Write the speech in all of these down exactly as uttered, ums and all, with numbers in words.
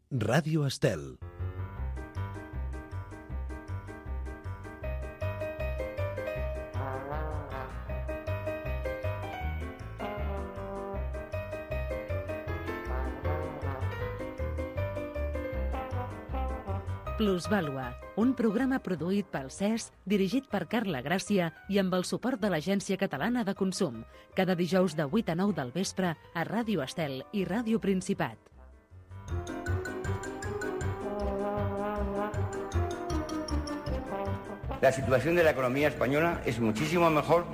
Ràdio Estel. Plusvàlua, un programa produït pel C E S, dirigit per Carla Gràcia i amb el suport de l'Agència Catalana de Consum, cada dijous de vuit a nou del vespre a Ràdio Estel i Ràdio Principat. La situación de la economía española es muchísimo mejor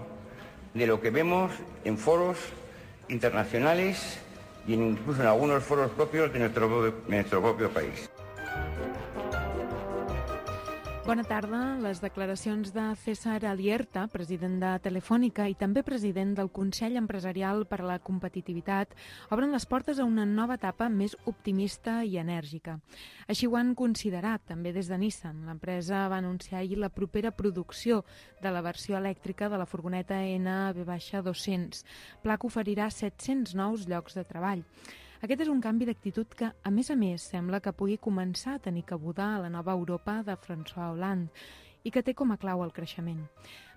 de lo que vemos en foros internacionales y incluso en algunos foros propios de nuestro, de nuestro propio país. Bona tarda. Les declaracions de César Alierta, president de Telefònica i també president del Consell Empresarial per a la Competitivitat, obren les portes a una nova etapa més optimista i enèrgica. Així ho han considerat també des de Nissan. L'empresa va anunciar ahir la propera producció de la versió elèctrica de la furgoneta N V dos-cents, pla que oferirà set-cents nous llocs de treball. Aquest és un canvi d'actitud que, a més a més, sembla que pugui començar a tenir cabuda a la nova Europa de François Hollande i que té com a clau el creixement.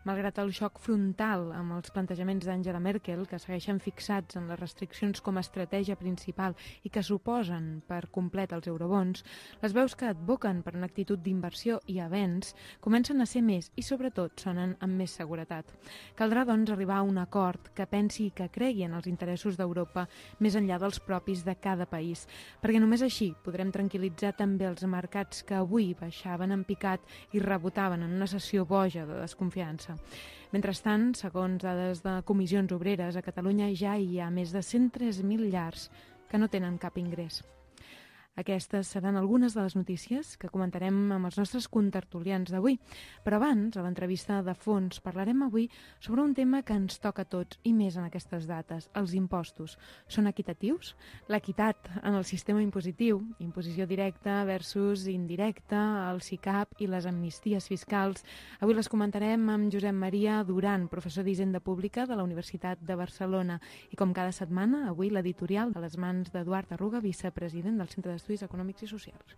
Malgrat el xoc frontal amb els plantejaments d'Angela Merkel, que segueixen fixats en les restriccions com a estratègia principal i que suposen per complet els eurobons, les veus que advoquen per una actitud d'inversió i avenç comencen a ser més i, sobretot, sonen amb més seguretat. Caldrà, doncs, arribar a un acord que pensi i que cregui en els interessos d'Europa més enllà dels propis de cada país, perquè només així podrem tranquil·litzar també els mercats que avui baixaven en picat i rebotaven en una sessió boja de desconfiança. Mentrestant, segons dades de comissions obreres, a Catalunya ja hi ha més de cent tres mil llars que no tenen cap ingrés. Aquestes seran algunes de les notícies que comentarem amb els nostres contertulians d'avui. Però abans, a l'entrevista de fons, parlarem avui sobre un tema que ens toca a tots i més en aquestes dates, els impostos. Són equitatius? L'equitat en el sistema impositiu, imposició directa versus indirecta, el SICAP i les amnisties fiscals. Avui les comentarem amb Josep Maria Duran, professor d'Hisenda Pública de la Universitat de Barcelona. I com cada setmana, avui l'editorial a les mans d'Eduard Arruga, vicepresident del Centre d'Estudis Estudis Econòmics i Socials.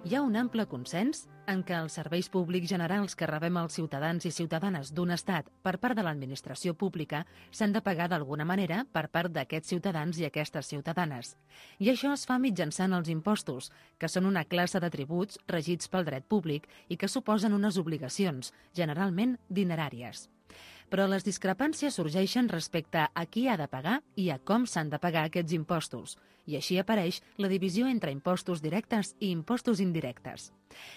Hi ha un ample consens en què els serveis públics generals que rebem els ciutadans i ciutadanes d'un estat per part de l'administració pública s'han de pagar d'alguna manera per part d'aquests ciutadans i aquestes ciutadanes. I això es fa mitjançant els impostos, que són una classe de tributs regits pel dret públic i que suposen unes obligacions, generalment dineràries. Però les discrepàncies sorgeixen respecte a qui ha de pagar i a com s'han de pagar aquests impostos, i així apareix la divisió entre impostos directes i impostos indirectes.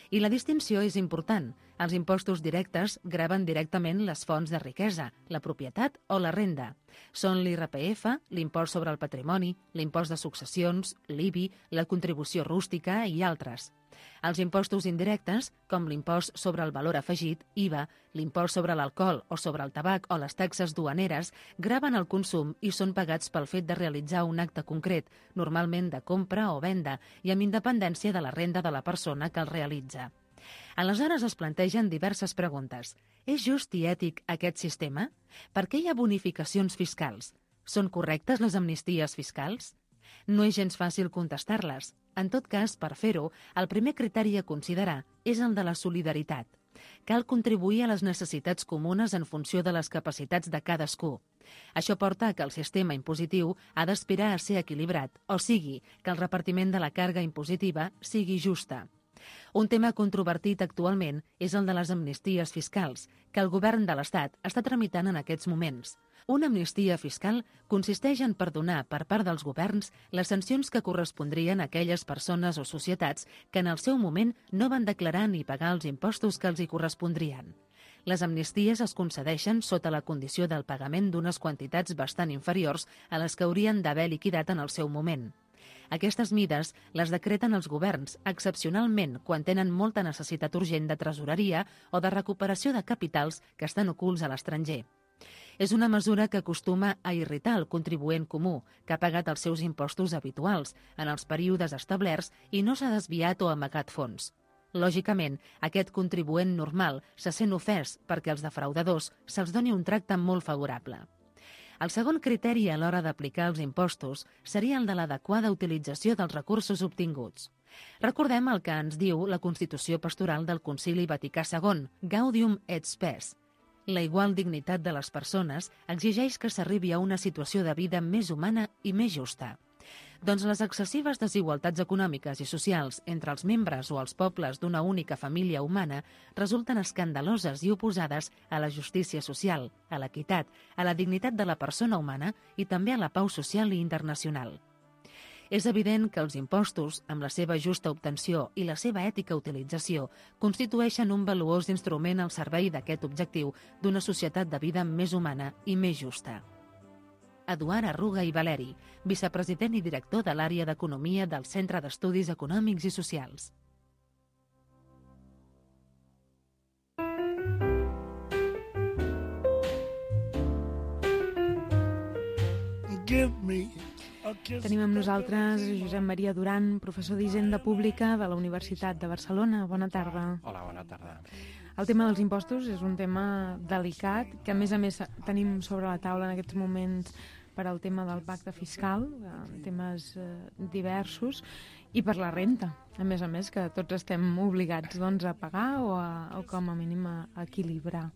I la distinció és important. Els impostos directes graven directament les fonts de riquesa, la propietat o la renda. Són l'I R P F, l'impost sobre el patrimoni, l'impost de successions, l'I B I, la contribució rústica i altres. Els impostos indirectes, com l'impost sobre el valor afegit, I V A, l'impost sobre l'alcohol o sobre el tabac o les taxes duaneres, graven el consum i són pagats pel fet de realitzar un acte concret, normalment de compra o venda, i amb independència de la renda de la persona que el realitza. Aleshores es plantegen diverses preguntes. És just i ètic aquest sistema? Per què hi ha bonificacions fiscals? Són correctes les amnisties fiscals? No és gens fàcil contestar-les. En tot cas, per fer-ho, el primer criteri a considerar és el de la solidaritat. Cal contribuir a les necessitats comunes en funció de les capacitats de cadascú. Això porta a que el sistema impositiu ha d'aspirar a ser equilibrat, o sigui, que el repartiment de la càrrega impositiva sigui justa. Un tema controvertit actualment és el de les amnisties fiscals, que el govern de l'Estat està tramitant en aquests moments. Una amnistia fiscal consisteix en perdonar per part dels governs les sancions que correspondrien a aquelles persones o societats que en el seu moment no van declarar ni pagar els impostos que els hi correspondrien. Les amnisties es concedeixen sota la condició del pagament d'unes quantitats bastant inferiors a les que haurien d'haver liquidat en el seu moment. Aquestes mides les decreten els governs, excepcionalment quan tenen molta necessitat urgent de tresoreria o de recuperació de capitals que estan ocults a l'estranger. És una mesura que acostuma a irritar el contribuent comú, que ha pagat els seus impostos habituals en els períodes establerts i no s'ha desviat o amagat fons. Lògicament, aquest contribuent normal se sent ofès perquè als defraudadors se'ls doni un tracte molt favorable. El segon criteri a l'hora d'aplicar els impostos seria el de l'adequada utilització dels recursos obtinguts. Recordem el que ens diu la Constitució Pastoral del Concili Vaticà segon, Gaudium et Spes. La igual dignitat de les persones exigeix que s'arribi a una situació de vida més humana i més justa. Doncs les excessives desigualtats econòmiques i socials entre els membres o els pobles d'una única família humana resulten escandaloses i oposades a la justícia social, a l'equitat, a la dignitat de la persona humana i també a la pau social i internacional. És evident que els impostos, amb la seva justa obtenció i la seva ètica utilització, constitueixen un valuós instrument al servei d'aquest objectiu d'una societat de vida més humana i més justa. Eduard Arruga i Valeri, vicepresident i director de l'àrea d'Economia del Centre d'Estudis Econòmics i Socials. Tenim amb nosaltres Josep Maria Duran, professor d'Hisenda Pública de la Universitat de Barcelona. Bona tarda. Hola, bona tarda. El tema dels impostos és un tema delicat, que a més a més tenim sobre la taula en aquests moments per al tema del pacte fiscal, temes eh, diversos, i per la renta, a més a més, que tots estem obligats doncs, a pagar o, a, o com a mínim a, a equilibrar.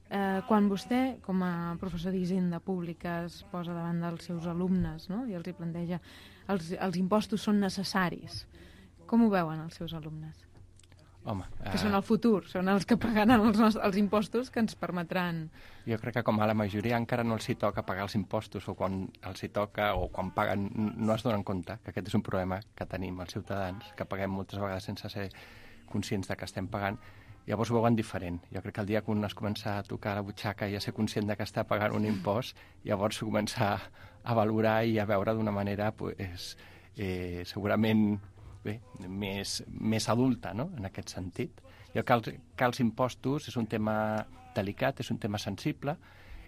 Eh, quan vostè, com a professor d'Hisenda Pública, es posa davant dels seus alumnes, no?, i els hi planteja els, els impostos són necessaris, com ho veuen els seus alumnes? Home, que són el futur, són els que pagaran els, els impostos que ens permetran... Jo crec que com a la majoria encara no els hi toca pagar els impostos, o quan els hi toca o quan paguen no es donen compte que aquest és un problema que tenim els ciutadans, que paguem moltes vegades sense ser conscients de que estem pagant. Llavors ho veuen diferent. Jo crec que el dia que un es comença a tocar la butxaca i a ser conscient de que està pagant un impost, llavors s'ho comença a valorar i a veure d'una manera pues, eh, segurament... bé, més, més adulta, no?, en aquest sentit. Jo crec que els, que els impostos és un tema delicat, és un tema sensible.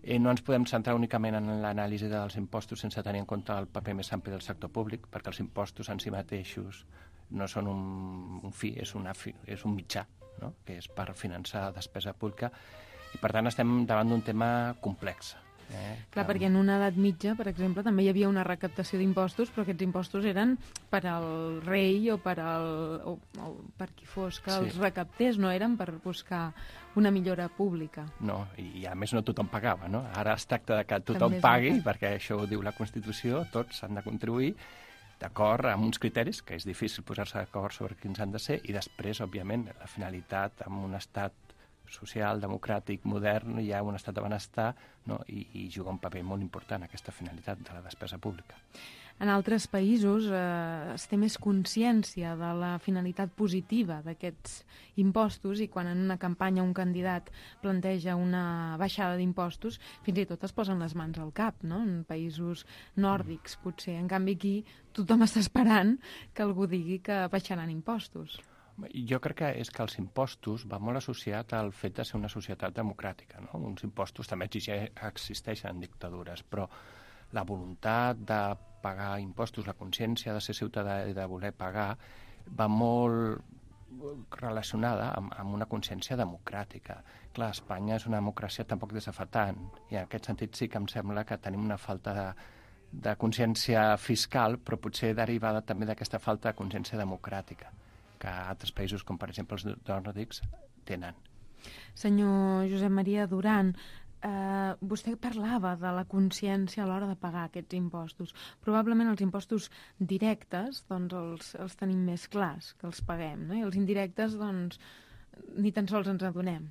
Eh, no ens podem centrar únicament en l'anàlisi dels impostos sense tenir en compte el paper més ampli del sector públic, perquè els impostos en si mateixos no són un, un fi, és, una fi, és un mitjà, no?, que és per finançar despesa pública, i per tant estem davant d'un tema complex. Eh, Clar, que... perquè en una edat mitja, per exemple, també hi havia una recaptació d'impostos, però aquests impostos eren per al rei o per, al, o, o per qui fos que sí. els recaptés, no eren per buscar una millora pública. No, i a més no tothom pagava, no? Ara es tracta de que tothom també pagui, perquè això ho diu la Constitució, tots han de contribuir d'acord amb uns criteris, que és difícil posar-se d'acord sobre quins han de ser, i després, òbviament, la finalitat amb un estat social, democràtic, modern, hi ha un estat de benestar, no? I, i juga un paper molt important aquesta finalitat de la despesa pública. En altres països eh, es té més consciència de la finalitat positiva d'aquests impostos i quan en una campanya un candidat planteja una baixada d'impostos, fins i tot es posen les mans al cap, no?, en països nòrdics, potser. En canvi, aquí tothom està esperant que algú digui que baixaran impostos. Jo crec que és que els impostos va molt associat al fet de ser una societat democràtica, no? Uns impostos també existeixen en dictadures, però la voluntat de pagar impostos, la consciència de ser ciutadà i de voler pagar, va molt relacionada amb, amb una consciència democràtica. Clar, Espanya és una democràcia tampoc des de fa tant, i en aquest sentit sí que em sembla que tenim una falta de, de consciència fiscal, però potser derivada també d'aquesta falta de consciència democràtica que altres països, com per exemple els nòrdics, tenen. Senyor Josep Maria Duran, eh, vostè parlava de la consciència a l'hora de pagar aquests impostos. Probablement els impostos directes doncs els, els tenim més clars, que els paguem, no? I els indirectes doncs ni tan sols ens adonem.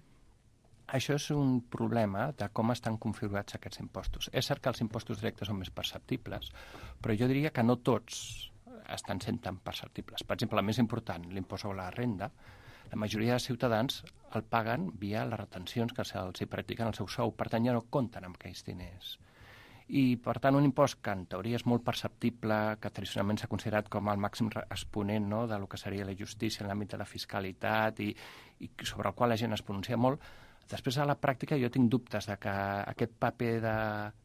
Això és un problema de com estan configurats aquests impostos. És cert que els impostos directes són més perceptibles, però jo diria que no tots estan sent tan perceptibles. Per exemple, la més important, l'impost sobre la renda, la majoria de ciutadans el paguen via les retencions que se'ls practiquen al seu sou, per tant ja no compten amb aquells diners. I, per tant, un impost que en teoria és molt perceptible, que tradicionalment s'ha considerat com el màxim exponent, no?, de lo que seria la justícia en l'àmbit de la fiscalitat i, i sobre el qual la gent es pronuncia molt, després a la pràctica jo tinc dubtes de que aquest paper de,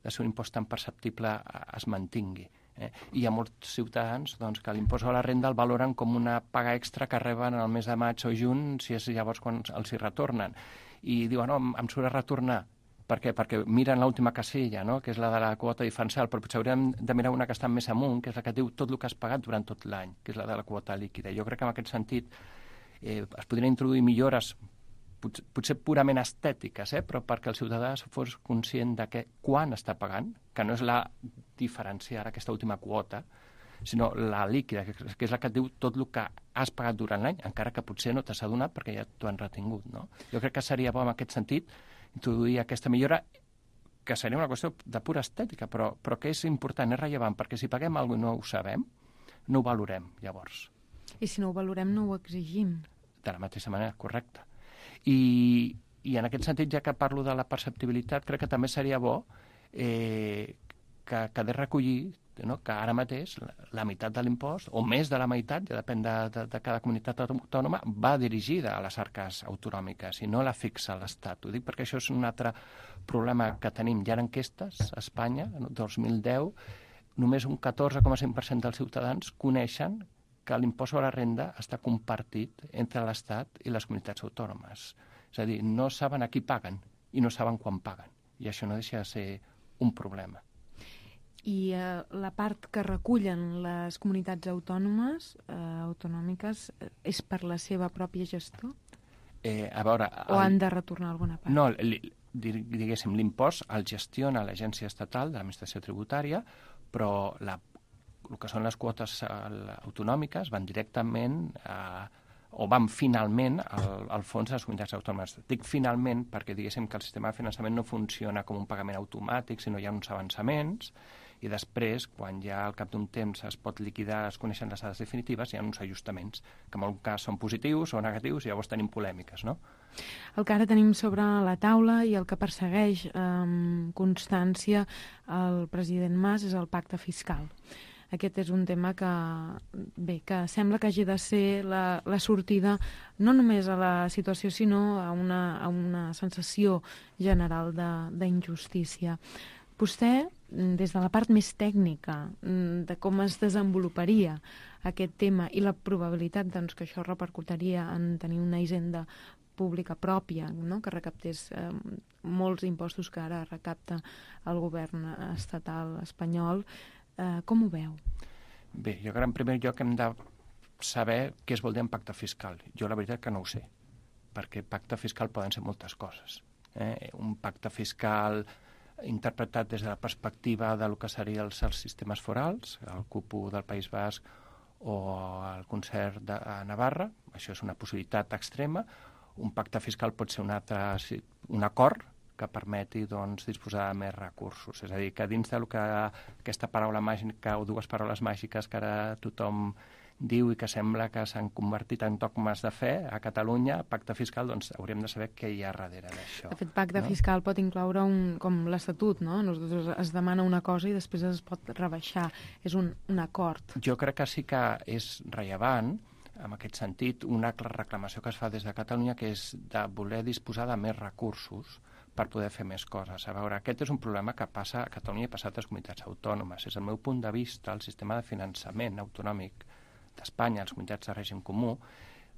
de ser un impost tan perceptible es mantingui. Eh? I hi ha molts ciutadans doncs, que l'impost a la renda el valoren com una paga extra que reben el mes de maig o juny, si és llavors quan els hi retornen. I diuen, no, em surt a retornar. Per què? Perquè miren l'última casella, no? Que és la de la quota diferencial, però potser hauríem de mirar una que està més amunt, que és la que diu tot el que has pagat durant tot l'any, que és la de la quota líquida. Jo crec que en aquest sentit eh, es podrien introduir millores potser, potser purament estètiques, eh? Però perquè el ciutadà fos conscient de que quan està pagant, que no és la diferenciar aquesta última quota, sinó la líquida, que és la que et diu tot el que has pagat durant l'any, encara que potser no t'has adonat perquè ja t'ho han retingut, no? Jo crec que seria bo en aquest sentit introduir aquesta millora, que seria una qüestió de pura estètica, però, però que és important, és rellevant, perquè si paguem alguna cosa i no ho sabem, no ho valorem, llavors. I si no ho valorem, no ho exigim. De la mateixa manera, correcte. I, i en aquest sentit, ja que parlo de la perceptibilitat, crec que també seria bo eh, que quedés recollir, no? Que ara mateix la, la meitat de l'impost, o més de la meitat, ja depèn de, de, de cada comunitat autònoma, va dirigida a les arques autonòmiques i no la fixa l'Estat. Ho dic perquè això és un altre problema que tenim. Hi ha enquestes a Espanya, en el dos mil deu, només un catorze coma cinc per cent dels ciutadans coneixen que l'impost sobre la renda està compartit entre l'Estat i les comunitats autònomes. És a dir, no saben a qui paguen i no saben quan paguen. I això no deixa de ser un problema. I eh, la part que recullen les comunitats autònomes, eh, autonòmiques, eh, és per la seva pròpia gestió? Eh, a veure... O el... han de retornar alguna part? No, li, diguéssim, l'impost el gestiona l'Agència Estatal de l'Administració Tributària, però la, el que són les quotes autonòmiques van directament a, o van finalment al, al fons de les comunitats autònomes. Dic finalment perquè diguéssim que el sistema de finançament no funciona com un pagament automàtic, sinó hi ha uns avançaments, i després, quan ja al cap d'un temps es pot liquidar, es coneixen les dades definitives, hi ha uns ajustaments, que en algun cas són positius o negatius, i llavors tenim polèmiques, no? El que ara tenim sobre la taula i el que persegueix amb eh, constància el president Mas és el pacte fiscal. Aquest és un tema que, bé, que sembla que hagi de ser la, la sortida no només a la situació, sinó a una, a una sensació general d'injustícia. Vostè, des de la part més tècnica de com es desenvoluparia aquest tema i la probabilitat doncs, que això repercutiria en tenir una hisenda pública pròpia, no? Que recaptés eh, molts impostos que ara recapta el govern estatal espanyol, eh, com ho veu? Bé, jo crec que en primer lloc hem de saber què es vol dir en pacte fiscal. Jo la veritat que no ho sé, perquè pacte fiscal poden ser moltes coses. Eh? Un pacte fiscal interpretat des de la perspectiva del que serien els, els sistemes forals, el cupo del País Basc o el concert de Navarra, això és una possibilitat extrema. Un pacte fiscal pot ser un, altre, un acord que permeti doncs, disposar de més recursos. És a dir, que dins del que aquesta paraula màgica o dues paraules màgiques que ara tothom diu i que sembla que s'han convertit en dogmes de fe a Catalunya, pacte fiscal, doncs hauríem de saber què hi ha darrere d'això. De fet, pacte no? fiscal pot incloure un, com l'Estatut, no? Nosaltres es demana una cosa i després es pot rebaixar. És un, un acord. Jo crec que sí que és rellevant, en aquest sentit, una reclamació que es fa des de Catalunya, que és de voler disposar de més recursos per poder fer més coses. A veure, aquest és un problema que passa a Catalunya i passa a altres comunitats autònomes. Des del meu punt de vista, el sistema de finançament autonòmic d'Espanya, les comunitats de règim comú,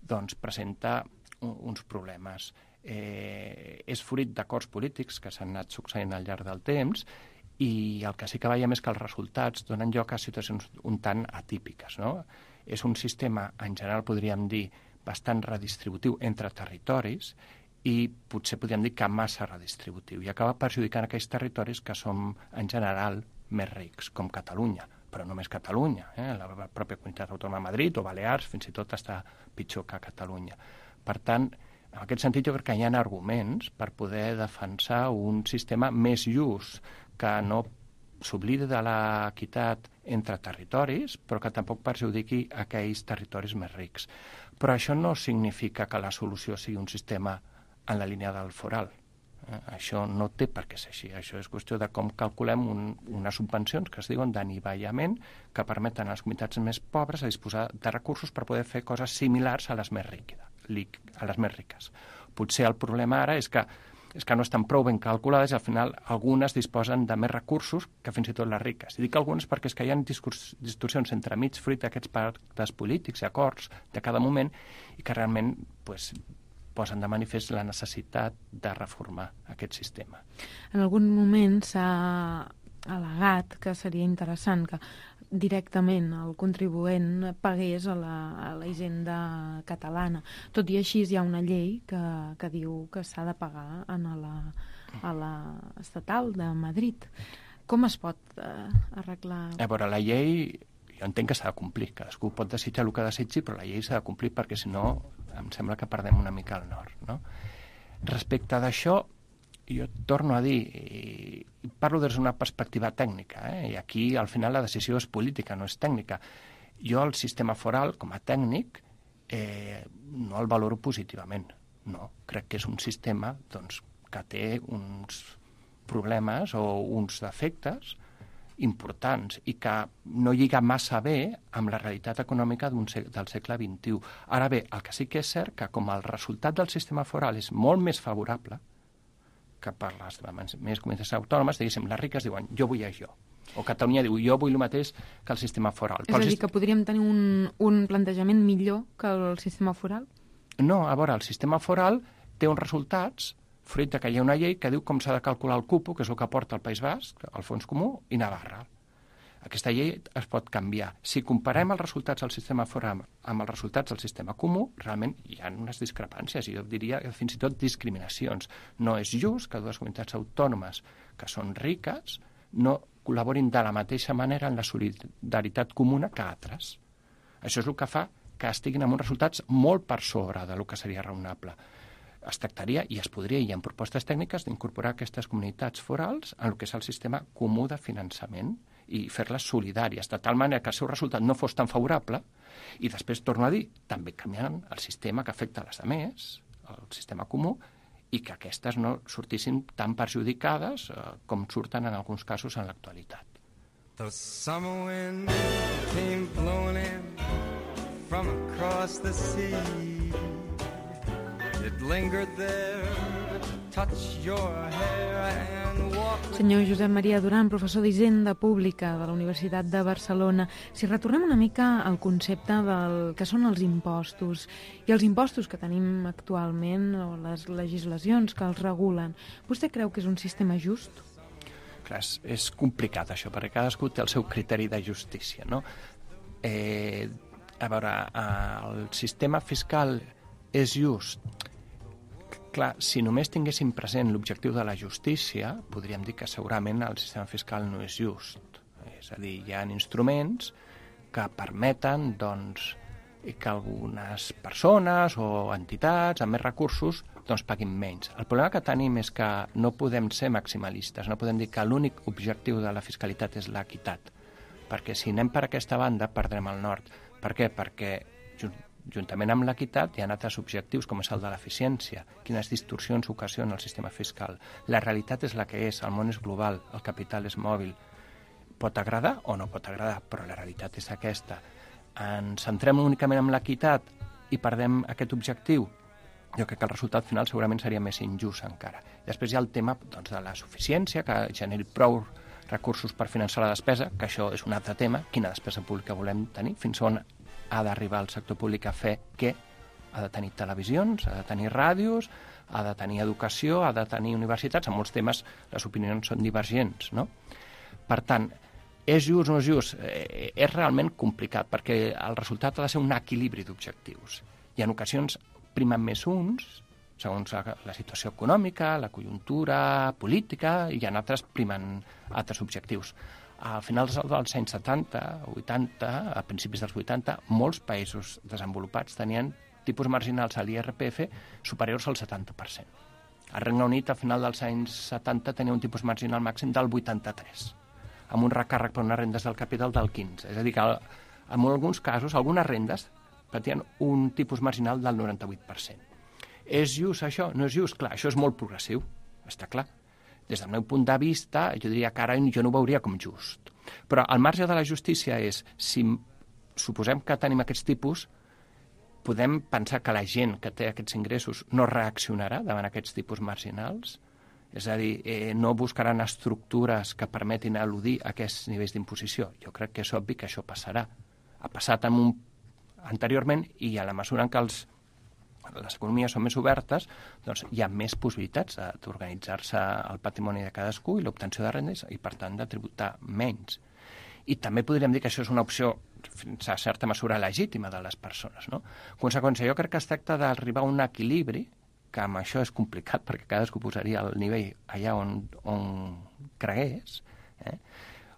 doncs presenta un, uns problemes. Eh, és fruit d'acords polítics que s'han anat succeint al llarg del temps i el que sí que veiem és que els resultats donen lloc a situacions un tant atípiques, no? És un sistema, en general podríem dir, bastant redistributiu entre territoris i potser podríem dir que massa redistributiu i acaba perjudicant aquells territoris que són en general més rics, com Catalunya. Però només Catalunya, eh? La pròpia comunitat autònoma de Madrid o Balears fins i tot està pitjor que Catalunya. Per tant, en aquest sentit jo crec que hi ha arguments per poder defensar un sistema més just, que no s'oblidi de l'equitat entre territoris, però que tampoc perjudiqui aquells territoris més rics. Però això no significa que la solució sigui un sistema en la línia del foral. Eh, això no té per què ser així. Això és qüestió de com calculem un, unes subvencions que es diuen d'anivellament que permeten a les comunitats més pobres a disposar de recursos per poder fer coses similars a les més, riquida, a les més riques. Potser el problema ara és que és que no estan prou ben calculades i al final algunes disposen de més recursos que fins i tot les riques. I dic algunes perquè és que hi ha distorsions entre mig fruit d'aquests pactes polítics i acords de cada moment i que realment pues, posen de manifest la necessitat de reformar aquest sistema. En algun moment s'ha al·legat que seria interessant que directament el contribuent pagués a la, a la hisenda catalana. Tot i així hi ha una llei que, que diu que s'ha de pagar en la, a la estatal de Madrid. Com es pot eh, arreglar? A veure, la llei, jo entenc que s'ha de complir. Cadascú pot desitjar el que desitgi, però la llei s'ha de complir perquè, si no, em sembla que perdem una mica el nord. No? Respecte d'això, jo torno a dir, i parlo des d'una perspectiva tècnica, eh? I aquí al final la decisió és política, no és tècnica. Jo el sistema foral, com a tècnic, eh, no el valoro positivament. No, crec que és un sistema doncs, que té uns problemes o uns defectes importants i que no lliga massa bé amb la realitat econòmica d'un seg- del segle vint-i-u. Ara bé, el que sí que és cert que com el resultat del sistema foral és molt més favorable que per les més comunitats autònomes, diguéssim, les riques diuen jo vull això, o Catalunya diu jo vull el mateix que el sistema foral. És a dir, que podríem tenir un, un plantejament millor que el sistema foral? No, a veure, el sistema foral té uns resultats fruit que hi ha una llei que diu com s'ha de calcular el cupo, que és el que porta el País Basc, el Fons Comú i Navarra. Aquesta llei es pot canviar. Si comparem els resultats del sistema foral amb els resultats del sistema comú, realment hi ha unes discrepàncies, i jo diria fins i tot discriminacions. No és just que dues comunitats autònomes que són riques no col·laborin de la mateixa manera en la solidaritat comuna que altres. Això és el que fa que estiguin amb uns resultats molt per sobre del que seria raonable. Es tractaria, i es podria, i hi ha propostes tècniques, d'incorporar aquestes comunitats forals en el que és el sistema comú de finançament i fer-les solidàries, de tal manera que el seu resultat no fos tan favorable, i després, torno a dir, també canviant el sistema que afecta a les altres, el sistema comú, i que aquestes no sortissin tan perjudicades eh, com surten en alguns casos en l'actualitat. The summer wind came blowing in from across the sea. It lingered there to touch your hair and walk. Senyor Josep Maria Duran, professor d'Hisenda Pública de la Universitat de Barcelona, si retornem una mica al concepte del que són els impostos i els impostos que tenim actualment o les legislacions que els regulen, vostè creu que és un sistema just? Clar, és, és complicat això, perquè cadascú té el seu criteri de justícia, no? Eh, a veure, el sistema fiscal és just. Clar, si només tinguéssim present l'objectiu de la justícia, podríem dir que segurament el sistema fiscal no és just. És a dir, hi ha instruments que permeten doncs, que algunes persones o entitats amb més recursos doncs, paguin menys. El problema que tenim és que no podem ser maximalistes, no podem dir que l'únic objectiu de la fiscalitat és l'equitat, perquè si anem per aquesta banda perdrem el nord. Per què? Perquè juntament amb l'equitat hi ha altres objectius, com és el de l'eficiència, quines distorsions ocasiona el sistema fiscal. La realitat és la que és, el món és global, el capital és mòbil. Pot agradar o no pot agradar, però la realitat és aquesta. Ens centrem únicament en l'equitat i perdem aquest objectiu? Jo crec que el resultat final segurament seria més injust encara. Després hi ha el tema doncs, de la suficiència, que generi prou recursos per finançar la despesa, que això és un altre tema, quina despesa pública volem tenir, fins on ha d'arribar el sector públic a fer què? Ha de tenir televisions, ha de tenir ràdios, ha de tenir educació, ha de tenir universitats. En molts temes les opinions són divergents, no? Per tant, és just o no és just? Eh, és realment complicat, perquè el resultat ha de ser un equilibri d'objectius. I en ocasions primen més uns, segons la, la situació econòmica, la conjuntura política, i en altres primen altres objectius. A finals dels anys setanta o vuitanta, a principis dels vuitanta, molts països desenvolupats tenien tipus marginals a l'I R P F superiors al setanta per cent. El Regne Unit, a final dels anys setanta, tenia un tipus marginal màxim del vuitanta-tres, amb un recàrrec per unes rendes del capital del quinze. És a dir, que en alguns casos, algunes rendes patien un tipus marginal del noranta-vuit per cent. És just això? No és just? Clar, això és molt progressiu, està clar. Des del meu punt de vista, jo diria que ara jo no ho veuria com just. Però al marge de la justícia és, si suposem que tenim aquests tipus, podem pensar que la gent que té aquests ingressos no reaccionarà davant aquests tipus marginals, és a dir, eh, no buscaran estructures que permetin eludir aquests nivells d'imposició. Jo crec que és obvi que això passarà. Ha passat en un... anteriorment, i a la mesura en què els, les economies són més obertes, doncs hi ha més possibilitats d'organitzar-se el patrimoni de cadascú i l'obtenció de rendes i, per tant, de tributar menys. I també podríem dir que això és una opció fins a certa mesura legítima de les persones, no? En conseqüència, jo crec que es tracta d'arribar a un equilibri, que amb això és complicat perquè cadascú posaria el nivell allà on, on cregués, eh?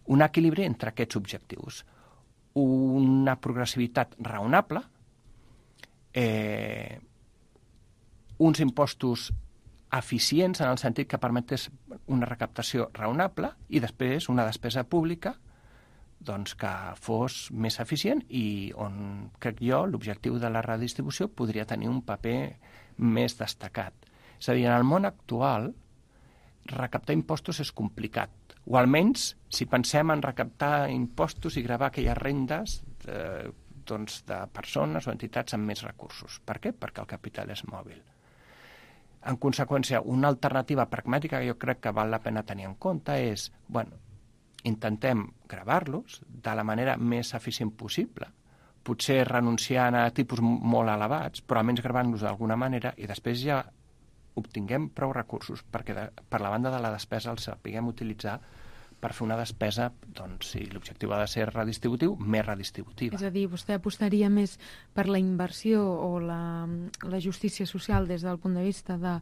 Un equilibri entre aquests objectius. Una progressivitat raonable, eh, uns impostos eficients en el sentit que permetés una recaptació raonable i després una despesa pública doncs, que fos més eficient i on, crec jo, l'objectiu de la redistribució podria tenir un paper més destacat. És a dir, en el món actual, recaptar impostos és complicat. O almenys, si pensem en recaptar impostos i gravar aquelles rendes de, doncs, de persones o entitats amb més recursos. Per què? Perquè el capital és mòbil. En conseqüència, una alternativa pragmàtica que jo crec que val la pena tenir en compte és, bueno, intentem gravar-los de la manera més eficient possible, potser renunciant a tipus molt elevats, però almenys gravant-los d'alguna manera i després ja obtinguem prou recursos perquè de, per la banda de la despesa els sapiguem utilitzar per fer una despesa, doncs, si l'objectiu ha de ser redistributiu, més redistributiva. És a dir, vostè apostaria més per la inversió o la, la justícia social des del punt de vista de,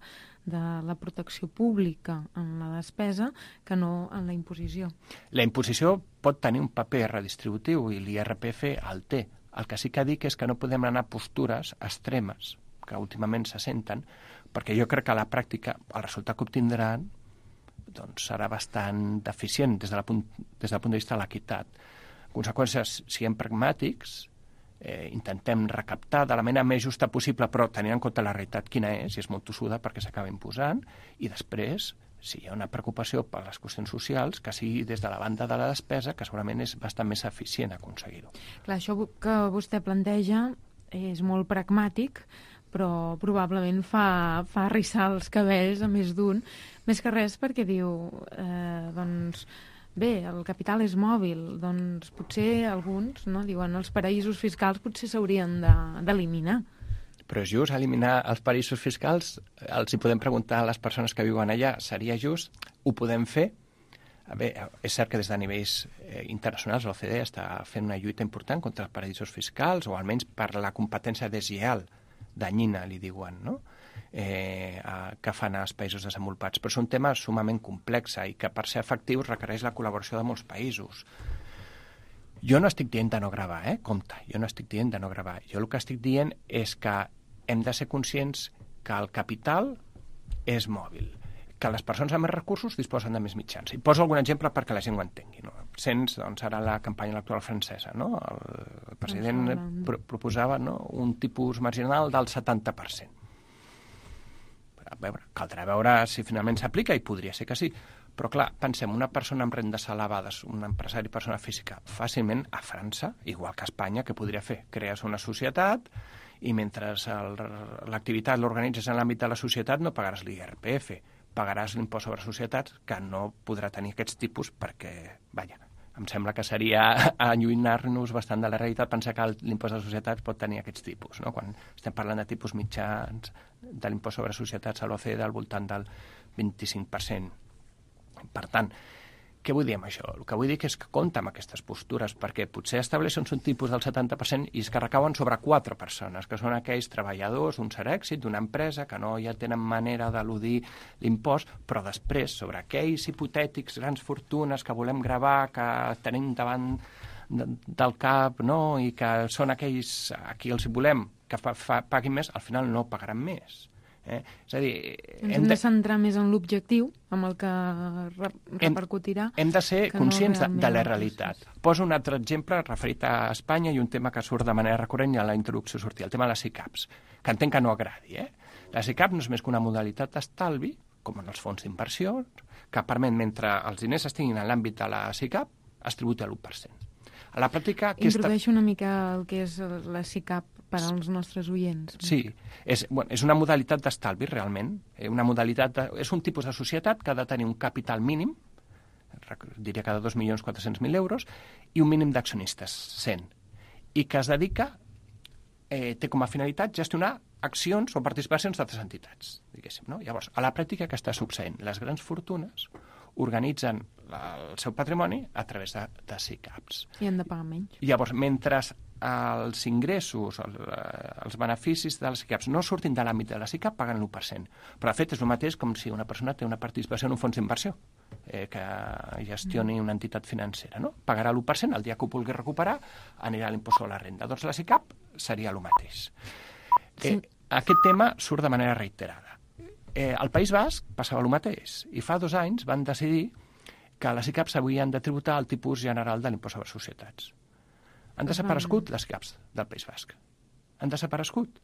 de la protecció pública en la despesa que no en la imposició. La imposició pot tenir un paper redistributiu i l'I R P F el té. El que sí que dic és que no podem anar a postures extremes que últimament se senten, perquè jo crec que a la pràctica el resultat que obtindran doncs, serà bastant deficient des, de la punt, des del punt de vista de l'equitat. En conseqüència, siguem pragmàtics, eh, intentem recaptar de la manera més justa possible, però tenint en compte la realitat quina és, i és molt tossuda perquè s'acaba imposant, i després, si hi ha una preocupació per les qüestions socials, que sigui des de la banda de la despesa, que segurament és bastant més eficient aconseguir-ho. Clar, això que vostè planteja és molt pragmàtic, però probablement fa, fa arrissar els cabells a més d'un, més que res perquè diu, eh, doncs, bé, el capital és mòbil, doncs potser alguns, no, diuen, els paraïsos fiscals potser s'haurien d'eliminar. Però és just eliminar els paraïsos fiscals? Els hi podem preguntar a les persones que viuen allà, seria just? Ho podem fer? Bé, és cert que des de nivells eh, internacionals l'O C D E està fent una lluita important contra els paraïsos fiscals, o almenys per la competència deslleial danyina, li diuen, no? eh, a, que fan als països desenvolupats. Però és un tema sumament complex i que per ser efectius requereix la col·laboració de molts països. Jo no estic dient de no gravar, eh? Compte, jo no estic dient de no gravar. Jo el que estic dient és que hem de ser conscients que el capital és mòbil, que les persones amb més recursos disposen de més mitjans. I poso algun exemple perquè la gent ho entengui. No? Sents, doncs, ara la campanya electoral francesa, no? El president pro proposava, no, un tipus marginal del setanta per cent. A veure, caldrà veure si finalment s'aplica, i podria ser que sí. Però, clar, pensem, una persona amb rendes elevades, un empresari, persona física, fàcilment a França, igual que a Espanya, que podria fer? Crees una societat i mentre l'activitat l'organitzes en l'àmbit de la societat no pagaràs l'I R P F, pagaràs l'impost sobre societats, que no podrà tenir aquests tipus perquè, vaja, em sembla que seria allunyar-nos bastant de la realitat pensar que l'impost de societats pot tenir aquests tipus, no? Quan estem parlant de tipus mitjans de l'impost sobre societats a l'O C D E al voltant del vint-i-cinc per cent. Per tant, què vull dir amb això? El que vull dir és que compta amb aquestes postures, perquè potser estableixen un tipus del setanta per cent i és que recauen sobre quatre persones, que són aquells treballadors d'un cert èxit, d'una empresa, que no ja tenen manera d'eludir l'impost, però després, sobre aquells hipotètics grans fortunes que volem gravar, que tenim davant de, del cap, no? I que són aquells a qui els volem que fa, fa, paguin més, al final no pagaran més. Eh? És a dir, hem, hem de centrar més en l'objectiu, amb el que re repercutirà. Hem, hem de ser conscients no de, de la realitat. Poso un altre exemple referit a Espanya i un tema que surt de manera recurrent i a la introducció sortia, el tema de les SICAPs, que entenc que no agradi. Eh? La SICAP no és més que una modalitat d'estalvi, com en els fons d'inversió, que permet, mentre els diners estiguin en l'àmbit de la SICAP, es tributa l'u per cent. A la pràctica... Introdueixo una mica el que és la SICAP per als nostres oients. Sí, és, bueno, és una modalitat d'estalvi, realment. Una modalitat de, és un tipus de societat que ha de tenir un capital mínim, diria cada dos milions quatre-cents mil euros, i un mínim d'accionistes, cent. I que es dedica, eh, té com a finalitat gestionar accions o participacions d'altres entitats, diguéssim. No? Llavors, a la pràctica què està succeint? Les grans fortunes organitzen la, el seu patrimoni a través de, de SICAPs. I han de pagar menys. Llavors, mentre els ingressos, el, els beneficis de les SICAPs no surtin de l'àmbit de la SICAP, paguen l'u per cent. Però, de fet, és el mateix com si una persona té una participació en un fons d'inversió eh, que gestioni una entitat financera. No? Pagarà l'u per cent, el dia que ho vulgui recuperar anirà a l'impost sobre la renda. Doncs la SICAP seria el mateix. Sí. Eh, aquest tema surt de manera reiterada. Eh, al País Basc passava el mateix i fa dos anys van decidir que les SICAPs havien de tributar el tipus general de l'impost sobre societats. Han desaparegut les SICAPs del País Basc. Han desaparegut.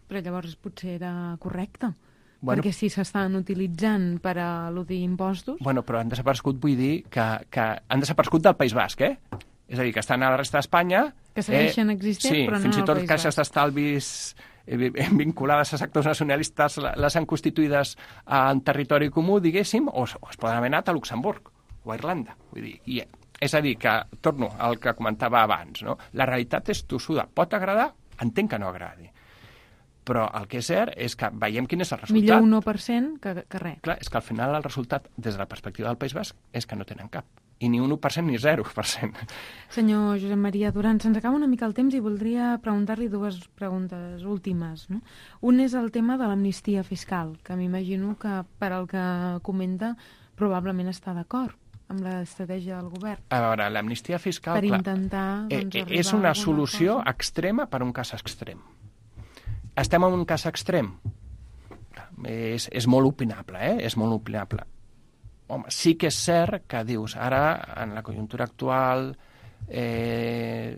Però llavors potser era correcte. Bueno, perquè si s'estan utilitzant per a eludir impostos... Bueno, però han desaparegut, vull dir, que, que han desaparegut del País Basc, eh? És a dir, que estan a la resta d'Espanya... Que segueixen eh, existent, sí, però no fins i tot País caixes d'estalvis eh, vinculades a sectors nacionalistes les han constituïdes en territori comú, diguéssim, o, o es poden haver anat a Luxemburg o a Irlanda. Vull dir, i, és a dir, que torno al que comentava abans, no? La realitat és tossuda. Pot agradar? Entenc que no agradi. Però el que és cert és que veiem quin és el resultat. Millor un u per cent que, que res. Clar, és que al final el resultat, des de la perspectiva del País Basc, és que no tenen cap. I ni un u per cent ni zero per cent. Senyor Josep Maria Duran, se'ns acaba una mica el temps i voldria preguntar-li dues preguntes últimes. No? Un és el tema de l'amnistia fiscal, que m'imagino que, per al que comenta, probablement està d'acord amb l'estratègia del govern. A veure, l'amnistia fiscal... Per clar, intentar doncs, eh, és una solució cosa. extrema per un cas extrem. Estem en un cas extrem? És, és molt opinable, eh? És molt opinable. Home, sí que és cert que dius, ara, en la conjuntura actual, eh,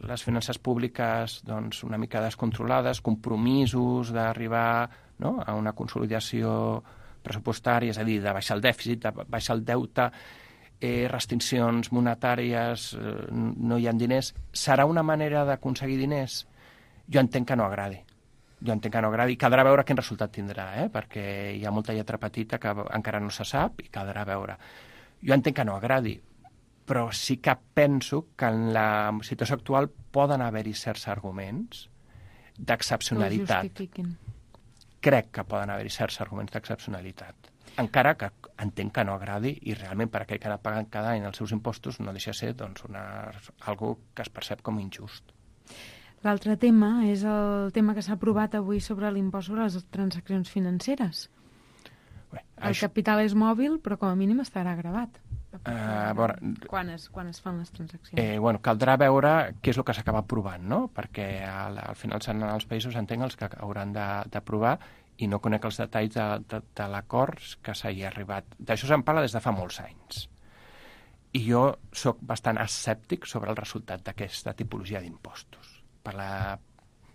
les finances públiques doncs, una mica descontrolades, compromisos d'arribar, no?, a una consolidació pressupostària, és a dir, de baixar el dèficit, de baixar el deute, eh, restriccions monetàries, eh, no hi ha diners, serà una manera d'aconseguir diners? Jo entenc que no agradi. Jo entenc que no agradi. Caldrà veure quin resultat tindrà, eh? Perquè hi ha molta lletra petita que encara no se sap i caldrà veure. Jo entenc que no agradi, però sí que penso que en la situació actual poden haver-hi certs arguments d'excepcionalitat. Crec que poden haver-hi certs arguments d'excepcionalitat. Encara que entenc que no agradi i realment per aquell que ha pagat cada any els seus impostos no deixa de ser doncs, una, algo que es percep com injust. L'altre tema és el tema que s'ha aprovat avui sobre l'impost sobre les transaccions financeres. Bé, el això... capital és mòbil, però com a mínim estarà gravat. Uh, veure... quan, es, quan es fan les transaccions. Eh, bueno, caldrà veure què és el que s'acaba aprovant, no? Perquè al, al final seran els països, entenc, els que hauran d'aprovar i no conec els detalls de, de, de l'acord que s'hi ha arribat. D'això se'n parla des de fa molts anys. I jo sóc bastant escèptic sobre el resultat d'aquesta tipologia d'impostos. Per la...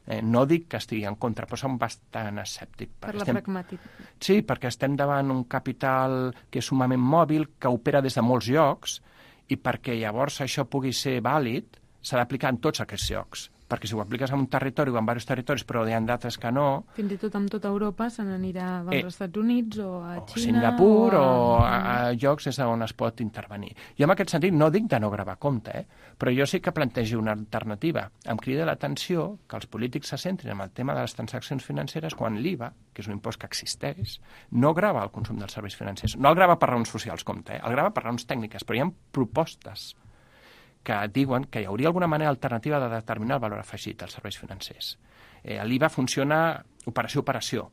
eh, no dic que estigui en contra, però som bastant escèptic. Per la estem... pragmàtica. Sí, perquè estem davant un capital que és sumament mòbil, que opera des de molts llocs, i perquè llavors això pugui ser vàlid, s'ha d'aplicar en tots aquests llocs. Perquè si ho apliques en un territori o en diversos territoris, però hi ha d'altres que no... Fins i tot amb tota Europa se n'anirà als eh, Estats Units o a o Xina... Singapur o a, o a, a llocs des on es pot intervenir. Jo en aquest sentit no dic de no gravar compte, eh? Però jo sí que plantegi una alternativa. Em crida l'atenció que els polítics se centrin en el tema de les transaccions financeres quan l'I V A, que és un impost que existeix, no grava el consum dels serveis financers. No el grava per raons socials, compte, eh? El grava per raons tècniques, però hi ha propostes que diuen que hi hauria alguna manera alternativa de determinar el valor afegit als serveis financers. Eh, L'I V A funciona operació a operació.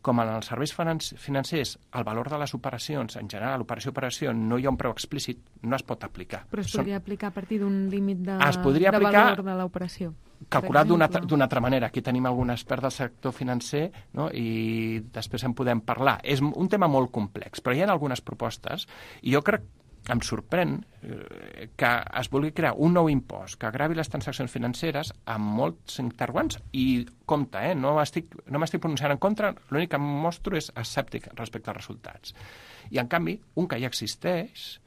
Com en els serveis financers, el valor de les operacions, en general, operació a operació, no hi ha un preu explícit, no es pot aplicar. Però es podria Són... aplicar a partir d'un límit de, es podria de aplicar... valor de l'operació. Calculat d'una altra manera. Aquí tenim algun expert del sector financer, no? I després en podem parlar. És un tema molt complex, però hi ha algunes propostes i jo crec em sorprèn eh, que es vulgui crear un nou impost que agravi les transaccions financeres amb molts interrogants i compte, eh, no m'estic no m'estic pronunciant en contra, l'únic que em mostro és escèptic respecte als resultats. I en canvi, un que ja existeix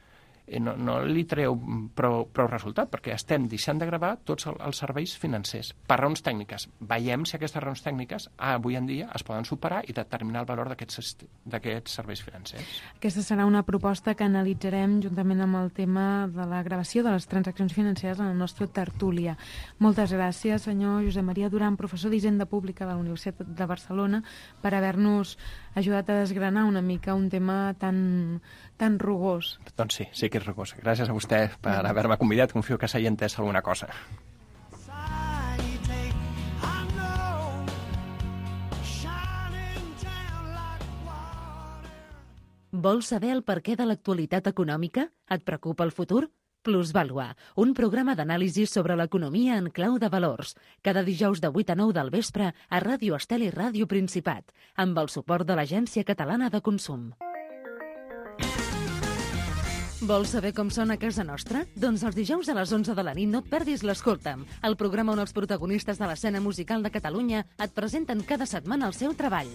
no, no li treu prou, prou resultat, perquè estem deixant de gravar tots els serveis financers per raons tècniques. Veiem si aquestes raons tècniques avui en dia es poden superar i determinar el valor d'aquests serveis financers. Aquesta serà una proposta que analitzarem juntament amb el tema de la gravació de les transaccions financeres en la nostra tertúlia. Moltes gràcies, senyor Josep Maria Duran, professor d'Hisenda Pública de la Universitat de Barcelona, per haver-nos ajudat a desgranar una mica un tema tan, tan rugós. Doncs sí, sí que és rugós. Gràcies a vostè per haver-me convidat. Confio que s'hagi entès alguna cosa. Vols saber el perquè de l'actualitat econòmica? Et preocupa el futur? Plusvàlua, un programa d'anàlisi sobre l'economia en clau de valors. Cada dijous de vuit a nou del vespre a Ràdio Estel i Ràdio Principat, amb el suport de l'Agència Catalana de Consum. Vols saber com són a casa nostra? Doncs els dijous a les onze de la nit no et perdis l'Escolta'm, el programa on els protagonistes de l'escena musical de Catalunya et presenten cada setmana el seu treball.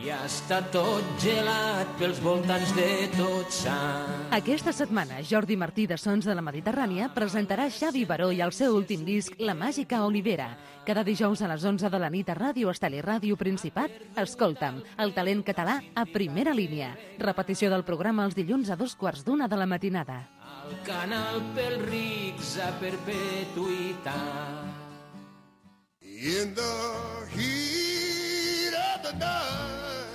I està tot gelat pels voltants de Tot Sant. Aquesta setmana, Jordi Martí de Sons de la Mediterrània presentarà Xavi Baró i el seu últim disc, La Màgica Olivera. Cada dijous a les onze de la nit a Ràdio Estel i Ràdio Principat, Escolta'm, el talent català a primera línia. Repetició del programa els dilluns a dos quarts d'una de la matinada. El canal pels rics a perpetuïtat. In the heat of the night.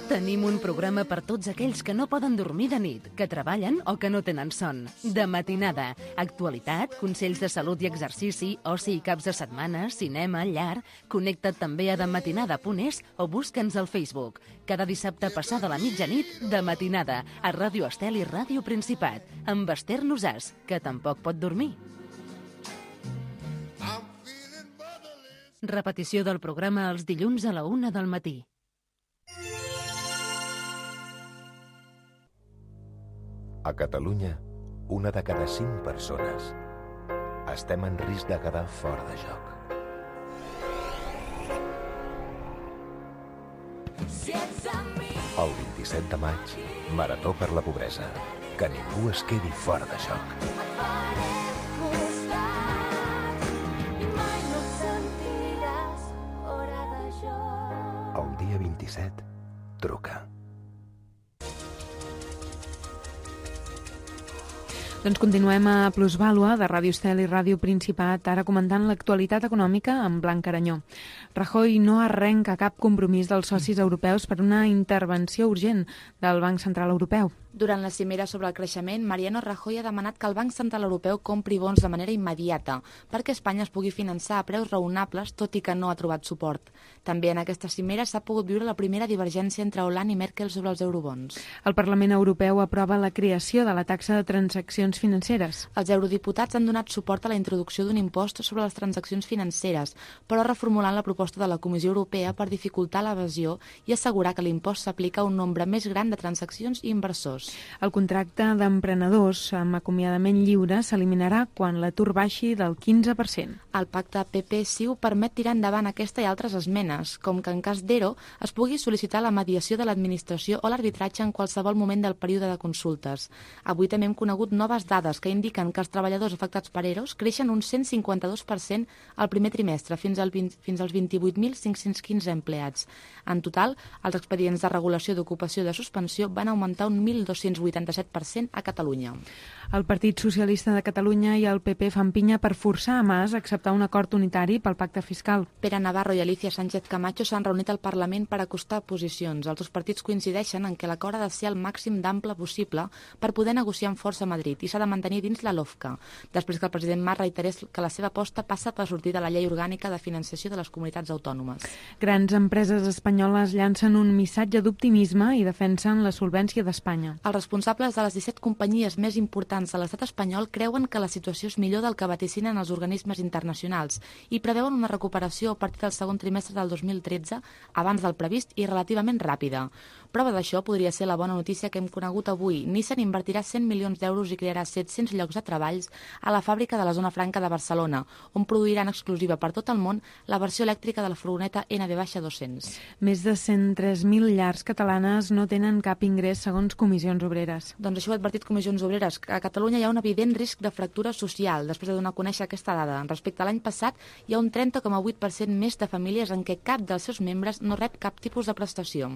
Tenim un programa per tots aquells que no poden dormir de nit, que treballen o que no tenen son. De matinada, actualitat, consells de salut i exercici, oci i caps de setmana, cinema, llar. Connecta't també a dematinada punt es o busca'ns al Facebook. Cada dissabte passada la mitjanit, De matinada, a Ràdio Estel i Ràdio Principat, amb Esther Nosàs, que tampoc pot dormir. Repetició del programa els dilluns a la una del matí. A Catalunya, una de cada cinc persones estem en risc de quedar fora de joc. El vint-i-set de maig, Marató per la Pobresa. Que ningú es quedi fora de joc. El dia vint-i-set, truca. Doncs continuem a Plusvàlua, de Ràdio Estel i Ràdio Principat, ara comentant l'actualitat econòmica amb Blanc Aranyó. Rajoy no arrenca cap compromís dels socis europeus per una intervenció urgent del Banc Central Europeu. Durant la cimera sobre el creixement, Mariano Rajoy ha demanat que el Banc Central Europeu compri bons de manera immediata perquè Espanya es pugui finançar a preus raonables, tot i que no ha trobat suport. També en aquesta cimera s'ha pogut viure la primera divergència entre Hollande i Merkel sobre els eurobons. El Parlament Europeu aprova la creació de la taxa de transaccions financeres. Els eurodiputats han donat suport a la introducció d'un impost sobre les transaccions financeres, però reformulant la proposta de la Comissió Europea per dificultar l'evasió i assegurar que l'impost s'aplica a un nombre més gran de transaccions i inversors. El contracte d'emprenedors amb acomiadament lliure s'eliminarà quan l'atur baixi del quinze per cent. El pacte P P-C I U permet tirar endavant aquesta i altres esmenes, com que en cas d'Ero es pugui sol·licitar la mediació de l'administració o l'arbitratge en qualsevol moment del període de consultes. Avui també hem conegut noves dades que indiquen que els treballadors afectats per Eros creixen un cent cinquanta-dos per cent al primer trimestre, fins, al vint, fins als vint-i-vuit mil cinc-cents quinze empleats. En total, els expedients de regulació d'ocupació i de suspensió van augmentar un mil dos-cents vuitanta-set per cent a Catalunya. El Partit Socialista de Catalunya i el P P fan pinya per forçar a Mas a acceptar un acord unitari pel pacte fiscal. Pere Navarro i Alicia Sánchez Camacho s'han reunit al Parlament per acostar posicions. Els dos partits coincideixen en que l'acord ha de ser el màxim d'ample possible per poder negociar amb força a Madrid i s'ha de mantenir dins la LOFCA, després que el president Mas reiterés que la seva aposta passa per sortir de la llei orgànica de financiació de les comunitats autònomes. Grans empreses espanyoles llancen un missatge d'optimisme i defensen la solvència d'Espanya. Els responsables de les disset companyies més importants de l'estat espanyol creuen que la situació és millor del que vaticinen els organismes internacionals i preveuen una recuperació a partir del segon trimestre del dos mil tretze, abans del previst i relativament ràpida. Prova d'això podria ser la bona notícia que hem conegut avui. Nissan invertirà cent milions d'euros i crearà crearà set-cents llocs de treballs a la fàbrica de la Zona Franca de Barcelona, on produiran exclusiva per tot el món la versió elèctrica de la furgoneta N B dos-cents. Més de cent tres mil llars catalanes no tenen cap ingrés segons Comissions Obreres. Doncs això ho ha advertit Comissions Obreres. A Catalunya hi ha un evident risc de fractura social després de donar a conèixer aquesta dada. Respecte a l'any passat, hi ha un trenta coma vuit per cent més de famílies en què cap dels seus membres no rep cap tipus de prestació.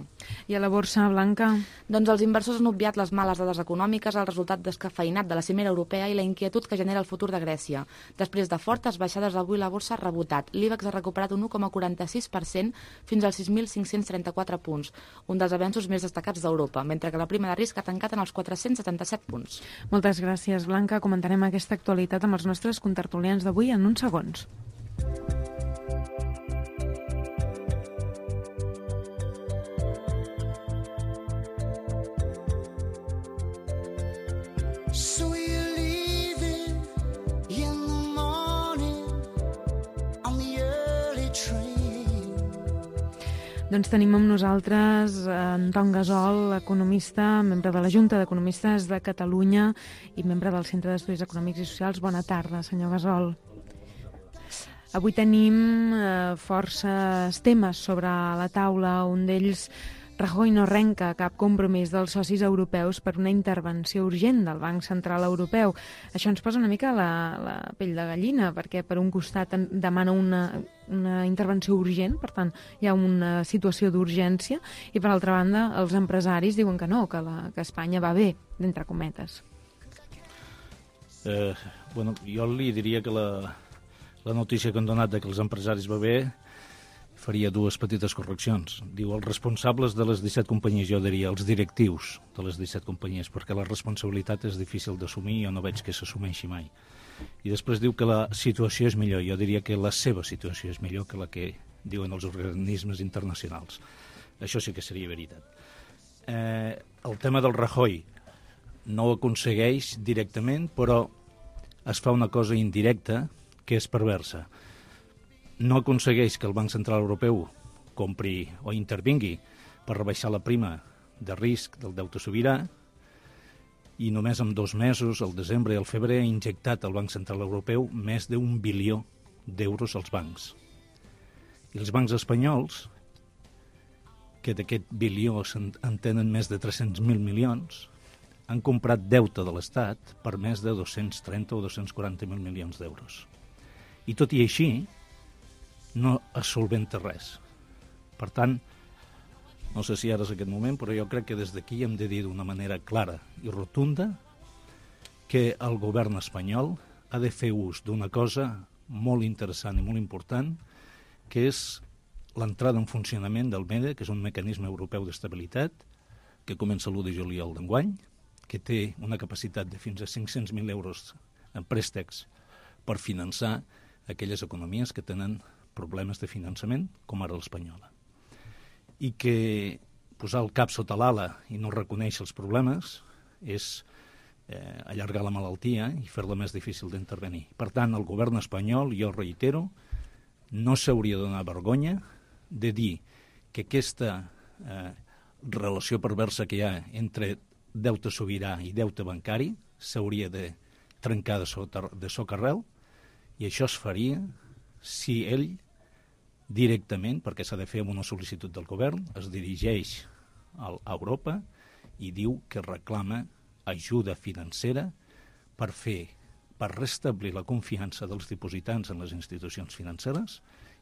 I a la borsa, Blanca? Doncs els inversors han obviat les males dades econòmiques, el resultat descafeïnat de la cimera europea i la inquietud que genera el futur de Grècia. Després de fortes baixades, avui la borsa ha rebotat. L'IBEX ha recuperat un u coma quaranta-sis per cent fins als sis mil cinc-cents trenta-quatre punts, un dels avenços més destacats d'Europa, mentre que la prima de risc ha tancat en els quatre-cents setanta-set punts. Moltes gràcies, Blanca. Comentarem aquesta actualitat amb els nostres contertulians d'avui en uns segons. Doncs tenim amb nosaltres Anton Gasol, economista, membre de la Junta d'Economistes de Catalunya i membre del Centre d'Estudis Econòmics i Socials. Bona tarda, senyor Gasol. Avui tenim eh, forces temes sobre la taula. Un d'ells, Rajoy no arrenca cap compromís dels socis europeus per una intervenció urgent del Banc Central Europeu. Això ens posa una mica la, la pell de gallina, perquè per un costat demana una, una intervenció urgent, per tant hi ha una situació d'urgència, i per altra banda els empresaris diuen que no, que, la, que Espanya va bé, d'entre cometes. Eh, bueno, jo li diria que la, la notícia que han donat de que els empresaris va bé faria dues petites correccions. Diu els responsables de les disset companyies, jo diria els directius de les disset companyies, perquè la responsabilitat és difícil d'assumir i jo no veig que s'assumeixi mai. I després diu que la situació és millor. Jo diria que la seva situació és millor que la que diuen els organismes internacionals. Això sí que seria veritat. Eh, el tema del Rajoy no ho aconsegueix directament, però es fa una cosa indirecta que és perversa. No aconsegueix que el Banc Central Europeu compri o intervingui per rebaixar la prima de risc del deute sobirà i només en dos mesos, el desembre i el febrer, ha injectat al Banc Central Europeu més d'un bilió d'euros als bancs. I els bancs espanyols, que d'aquest bilió en tenen més de tres-cents mil milions, han comprat deute de l'Estat per més de dos-cents trenta o dos-cents quaranta mil milions d'euros. I tot i així, no es solventa res. Per tant, no sé si ara és aquest moment, però jo crec que des d'aquí hem de dir d'una manera clara i rotunda que el govern espanyol ha de fer ús d'una cosa molt interessant i molt important, que és l'entrada en funcionament del MEDE, que és un mecanisme europeu d'estabilitat, que comença l'u de juliol d'enguany, que té una capacitat de fins a cinc-cents mil euros en préstecs per finançar aquelles economies que tenen problemes de finançament, com ara l'espanyola. I que posar el cap sota l'ala i no reconèixer els problemes és eh, allargar la malaltia i fer-la més difícil d'intervenir. Per tant, el govern espanyol, jo reitero, no s'hauria de donar vergonya de dir que aquesta eh, relació perversa que hi ha entre deute sobirà i deute bancari s'hauria de trencar de, sota, de socarrel, i això es faria si ell directament, perquè s'ha de fer amb una sol·licitud del govern, es dirigeix a Europa i diu que reclama ajuda financera per fer, per restablir la confiança dels dipositants en les institucions financeres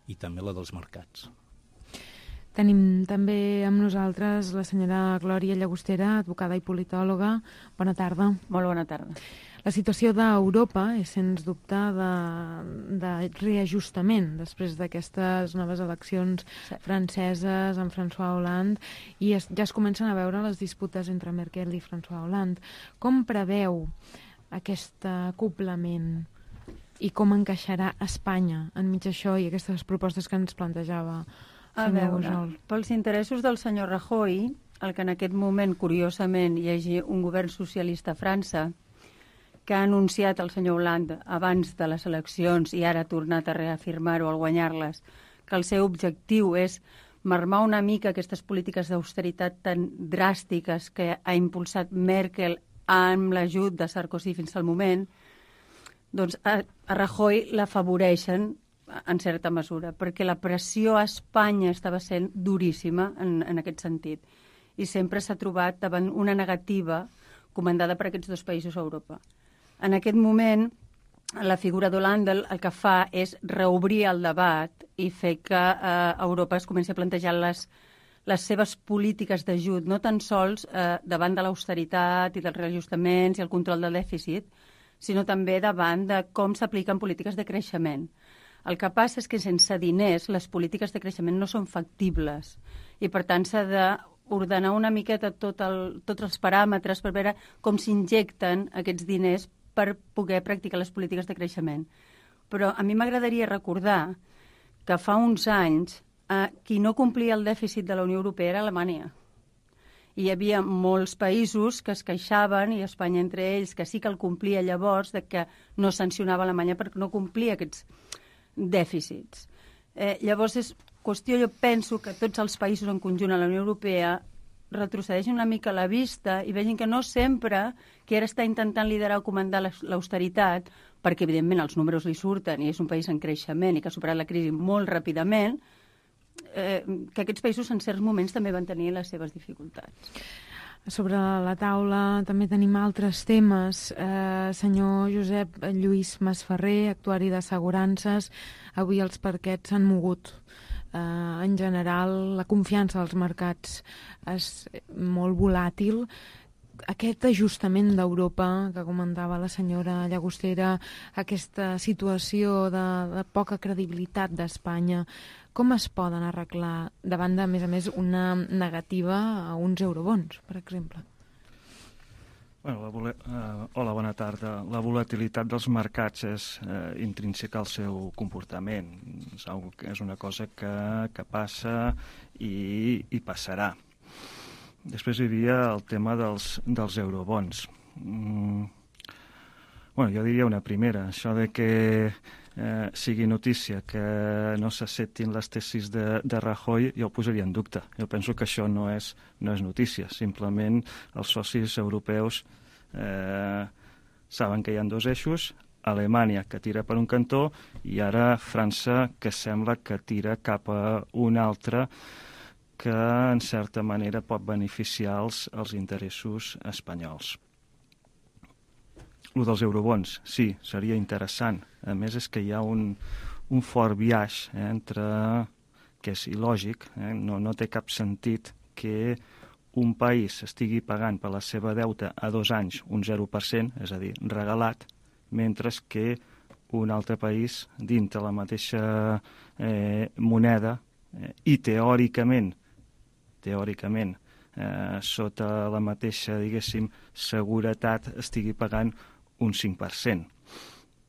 i també la dels mercats. Tenim també amb nosaltres la senyora Glòria Llagostera, advocada i politòloga. Bona tarda. Molt bona tarda. La situació d'Europa és, sens dubte, de, de reajustament després d'aquestes noves eleccions sí. franceses amb François Hollande, i es, ja es comencen a veure les disputes entre Merkel i François Hollande. Com preveu aquest acoblament i com encaixarà Espanya enmig d'això i aquestes propostes que ens plantejava a veure, pels interessos del senyor Rajoy, el que en aquest moment, curiosament, hi hagi un govern socialista a França que ha anunciat el senyor Hollande abans de les eleccions i ara ha tornat a reafirmar-ho al guanyar-les, que el seu objectiu és marmar una mica aquestes polítiques d'austeritat tan dràstiques que ha impulsat Merkel amb l'ajut de Sarkozy fins al moment, doncs a, a Rajoy l'afavoreixen en certa mesura, perquè la pressió a Espanya estava sent duríssima en, en aquest sentit, i sempre s'ha trobat davant una negativa comandada per aquests dos països a Europa. En aquest moment, la figura d'Hollande el que fa és reobrir el debat i fer que eh, Europa es comenci a plantejar les, les seves polítiques d'ajut, no tan sols eh, davant de l'austeritat i dels reajustaments i el control del dèficit, sinó també davant de com s'apliquen polítiques de creixement. El que passa és que sense diners les polítiques de creixement no són factibles i, per tant, s'ha d'ordenar una miqueta tot el, tots els paràmetres per veure com s'injecten aquests diners per poder practicar les polítiques de creixement. Però a mi m'agradaria recordar que fa uns anys eh, qui no complia el dèficit de la Unió Europea era Alemanya. I hi havia molts països que es queixaven, i Espanya entre ells, que sí que el complia llavors, de que no sancionava Alemanya perquè no complia aquests dèficits. Eh, llavors és qüestió, jo penso que tots els països en conjunt a la Unió Europea retrocedeixin una mica la vista i vegin que no sempre qui ara està intentant liderar o comandar l'austeritat, perquè evidentment els números li surten i és un país en creixement i que ha superat la crisi molt ràpidament, eh, que aquests països en certs moments també van tenir les seves dificultats. Sobre la taula també tenim altres temes. Eh, senyor Josep Lluís Masferrer, actuari d'assegurances, avui els parquets s'han mogut. Eh, en general, la confiança als mercats és molt volàtil. Aquest ajustament d'Europa, que comentava la senyora Llagostera, aquesta situació de, de poca credibilitat d'Espanya, com es poden arreglar davant de, a més a més, una negativa a uns eurobons, per exemple? Bueno, la vole... uh, hola, bona tarda. La volatilitat dels mercats és uh, intrínseca al seu comportament. És, algo que és una cosa que, que passa i, i passarà. Després hi havia el tema dels, dels eurobons. Mm. Bueno, jo diria una primera, això de que eh, sigui notícia que no s'acceptin les tesis de, de Rajoy, jo ho posaria en dubte. Jo penso que això no és, no és notícia. Simplement els socis europeus eh, saben que hi ha dos eixos, Alemanya que tira per un cantó i ara França que sembla que tira cap a un altre que en certa manera pot beneficiar els, els interessos espanyols. El dels eurobons, sí, seria interessant. A més, és que hi ha un, un fort biaix eh, entre, que és il·lògic, eh, no, no té cap sentit que un país estigui pagant per la seva deute a dos anys un zero per cent, és a dir, regalat, mentre que un altre país, dintre la mateixa eh, moneda, eh, i teòricament, teòricament, eh, sota la mateixa, diguéssim, seguretat, estigui pagant un cinc per cent.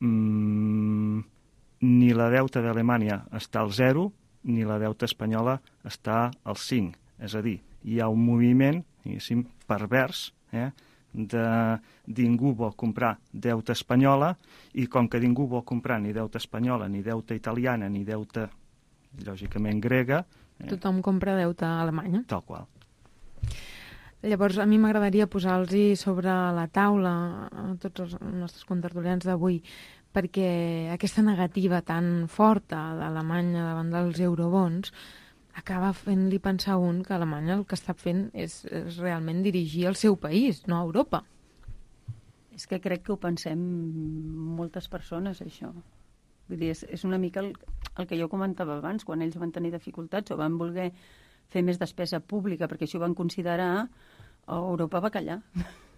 Mm, ni la deuta d'Alemanya està al zero, ni la deuta espanyola està al cinc. És a dir, hi ha un moviment, diguéssim, pervers, eh, de ningú vol comprar deuta espanyola i com que ningú vol comprar ni deuta espanyola, ni deuta italiana, ni deuta, lògicament, grega... Eh, tothom compra deuta alemanya. Tal qual. Llavors, a mi m'agradaria posar-los sobre la taula a tots els nostres contertulians d'avui, perquè aquesta negativa tan forta d'Alemanya davant dels eurobons acaba fent-li pensar un que Alemanya el que està fent és, és realment dirigir el seu país, no Europa. És que crec que ho pensem moltes persones, això. Vull dir, és, és una mica el, el que jo comentava abans, quan ells van tenir dificultats o van voler fer més despesa pública, perquè això ho van considerar, Europa va callar.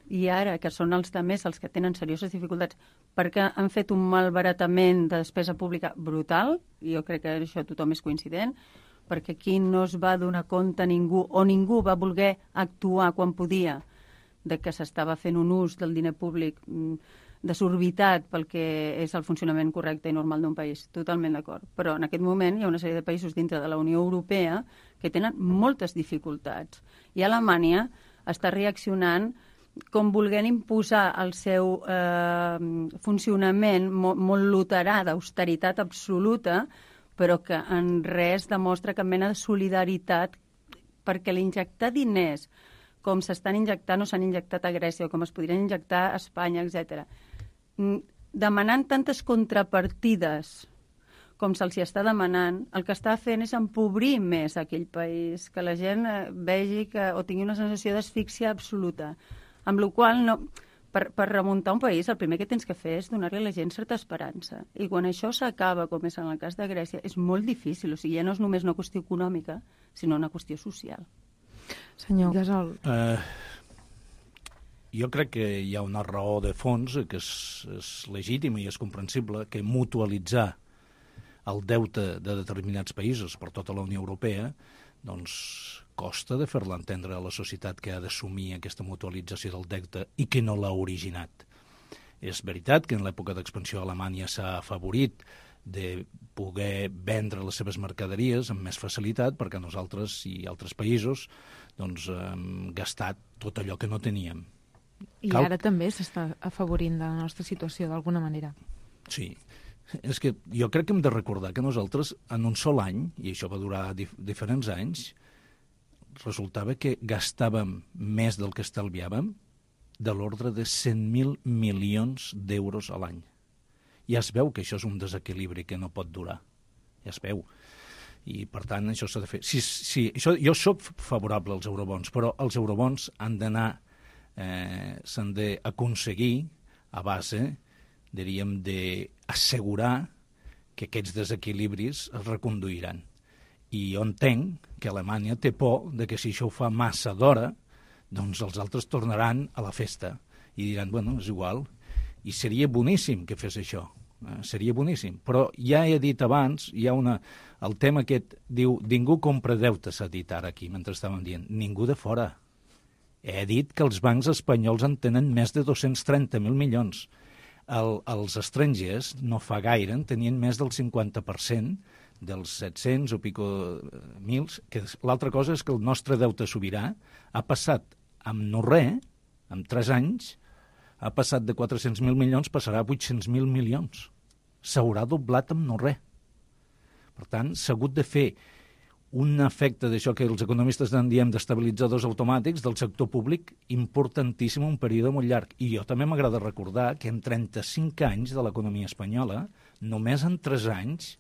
I ara, que són els altres els que tenen serioses dificultats, perquè han fet un malbaratament de despesa pública brutal, i jo crec que això tothom és coincident, perquè aquí no es va donar compte ningú, o ningú va voler actuar quan podia, de que s'estava fent un ús del diner públic desorbitat pel que és el funcionament correcte i normal d'un país. Totalment d'acord. Però en aquest moment hi ha una sèrie de països dintre de la Unió Europea que tenen moltes dificultats. I Alemanya està reaccionant com volent imposar el seu eh, funcionament molt, molt luterà d'austeritat absoluta, però que en res demostra cap mena de solidaritat, perquè l'injectar diners com s'estan injectant o s'han injectat a Grècia, o com es podrien injectar a Espanya, etcètera, demanant tantes contrapartides com se'ls hi està demanant, el que està fent és empobrir més aquell país, que la gent vegi que, o tingui una sensació d'asfíxia absoluta. Amb la qual no, per, per remuntar un país, el primer que tens que fer és donar-li a la gent certa esperança. I quan això s'acaba, com és en el cas de Grècia, és molt difícil. O sigui, ja no és només una qüestió econòmica, sinó una qüestió social. Senyor Gasol. Uh, jo crec que hi ha una raó de fons que és, és legítima i és comprensible, que mutualitzar el deute de determinats països per tota la Unió Europea, doncs costa de fer-la entendre a la societat que ha d'assumir aquesta mutualització del deute i que no l'ha originat. És veritat que en l'època d'expansió Alemanya s'ha afavorit de poder vendre les seves mercaderies amb més facilitat perquè nosaltres i altres països doncs, hem gastat tot allò que no teníem. I Cal... ara també s'està afavorint de la nostra situació d'alguna manera. Sí. És que jo crec que hem de recordar que nosaltres en un sol any, i això va durar dif diferents anys, resultava que gastàvem més del que estalviàvem de l'ordre de cent mil milions d'euros a l'any. Ja es veu que això és un desequilibri que no pot durar. Ja es veu. I, per tant, això s'ha de fer. Sí, sí, això, jo soc favorable als eurobons, però els eurobons han d'anar, eh, s'han d'aconseguir a base, diríem, d'assegurar que aquests desequilibris es reconduiran. I jo entenc que Alemanya té por de que si això ho fa massa d'hora, doncs els altres tornaran a la festa i diran, bueno, és igual. I seria boníssim que fes això, eh? Seria boníssim. Però ja he dit abans, hi ha una... el tema aquest diu, ningú compra deute, s'ha dit ara aquí, mentre estàvem dient, ningú de fora. He dit que els bancs espanyols en tenen més de dos-cents trenta mil milions. El, els estrangers no fa gaire en tenien més del cinquanta per cent dels set-cents o pico mils, que l'altra cosa és que el nostre deute sobirà ha passat amb no res, amb tres anys, ha passat de quatre-cents mil milions, passarà a vuit-cents mil milions. S'haurà doblat amb no res. Per tant, s'ha hagut de fer un efecte d'això que els economistes en diem d'estabilitzadors automàtics del sector públic importantíssim un període molt llarg. I jo també m'agrada recordar que en trenta-cinc anys de l'economia espanyola, només en tres anys,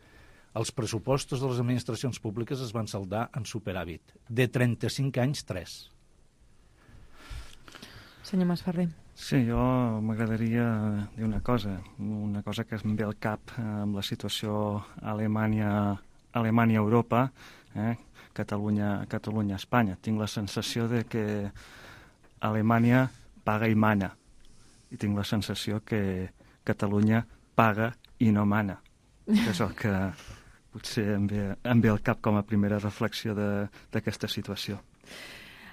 els pressupostos de les administracions públiques es van saldar en superàvit. De trenta-cinc anys, tres. Senyor Masferrer. Sí, jo m'agradaria dir una cosa, una cosa que em ve al cap amb la situació Alemanya, Alemanya-Europa, eh? Catalunya, Catalunya-Espanya. Tinc la sensació de que Alemanya paga i mana, i tinc la sensació que Catalunya paga i no mana. Que és el que potser em ve, em ve al cap com a primera reflexió d'aquesta situació.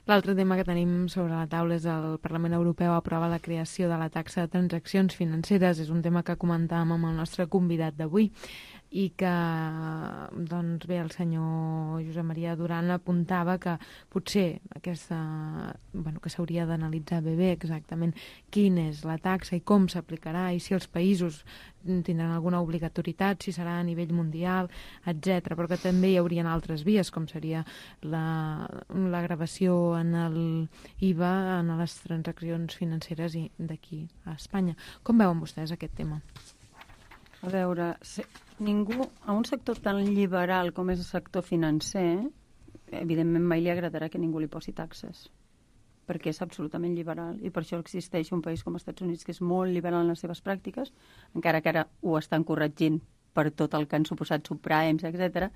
L'altre tema que tenim sobre la taula és el Parlament Europeu aprova la creació de la taxa de transaccions financeres. És un tema que comentàvem amb el nostre convidat d'avui i que, doncs bé, el senyor Josep Maria Duran apuntava que potser aquesta, bueno, que s'hauria d'analitzar bé bé exactament quina és la taxa i com s'aplicarà i si els països tindran alguna obligatorietat, si serà a nivell mundial, etcètera. Però que també hi haurien altres vies, com seria la, la gravació en el I V A en les transaccions financeres d'aquí a Espanya. Com veuen vostès aquest tema? A veure, si ningú, a un sector tan liberal com és el sector financer, evidentment mai li agradarà que ningú li posi taxes, perquè és absolutament liberal, i per això existeix un país com els Estats Units que és molt liberal en les seves pràctiques, encara que ara ho estan corregint per tot el que han suposat subprimes, etcètera,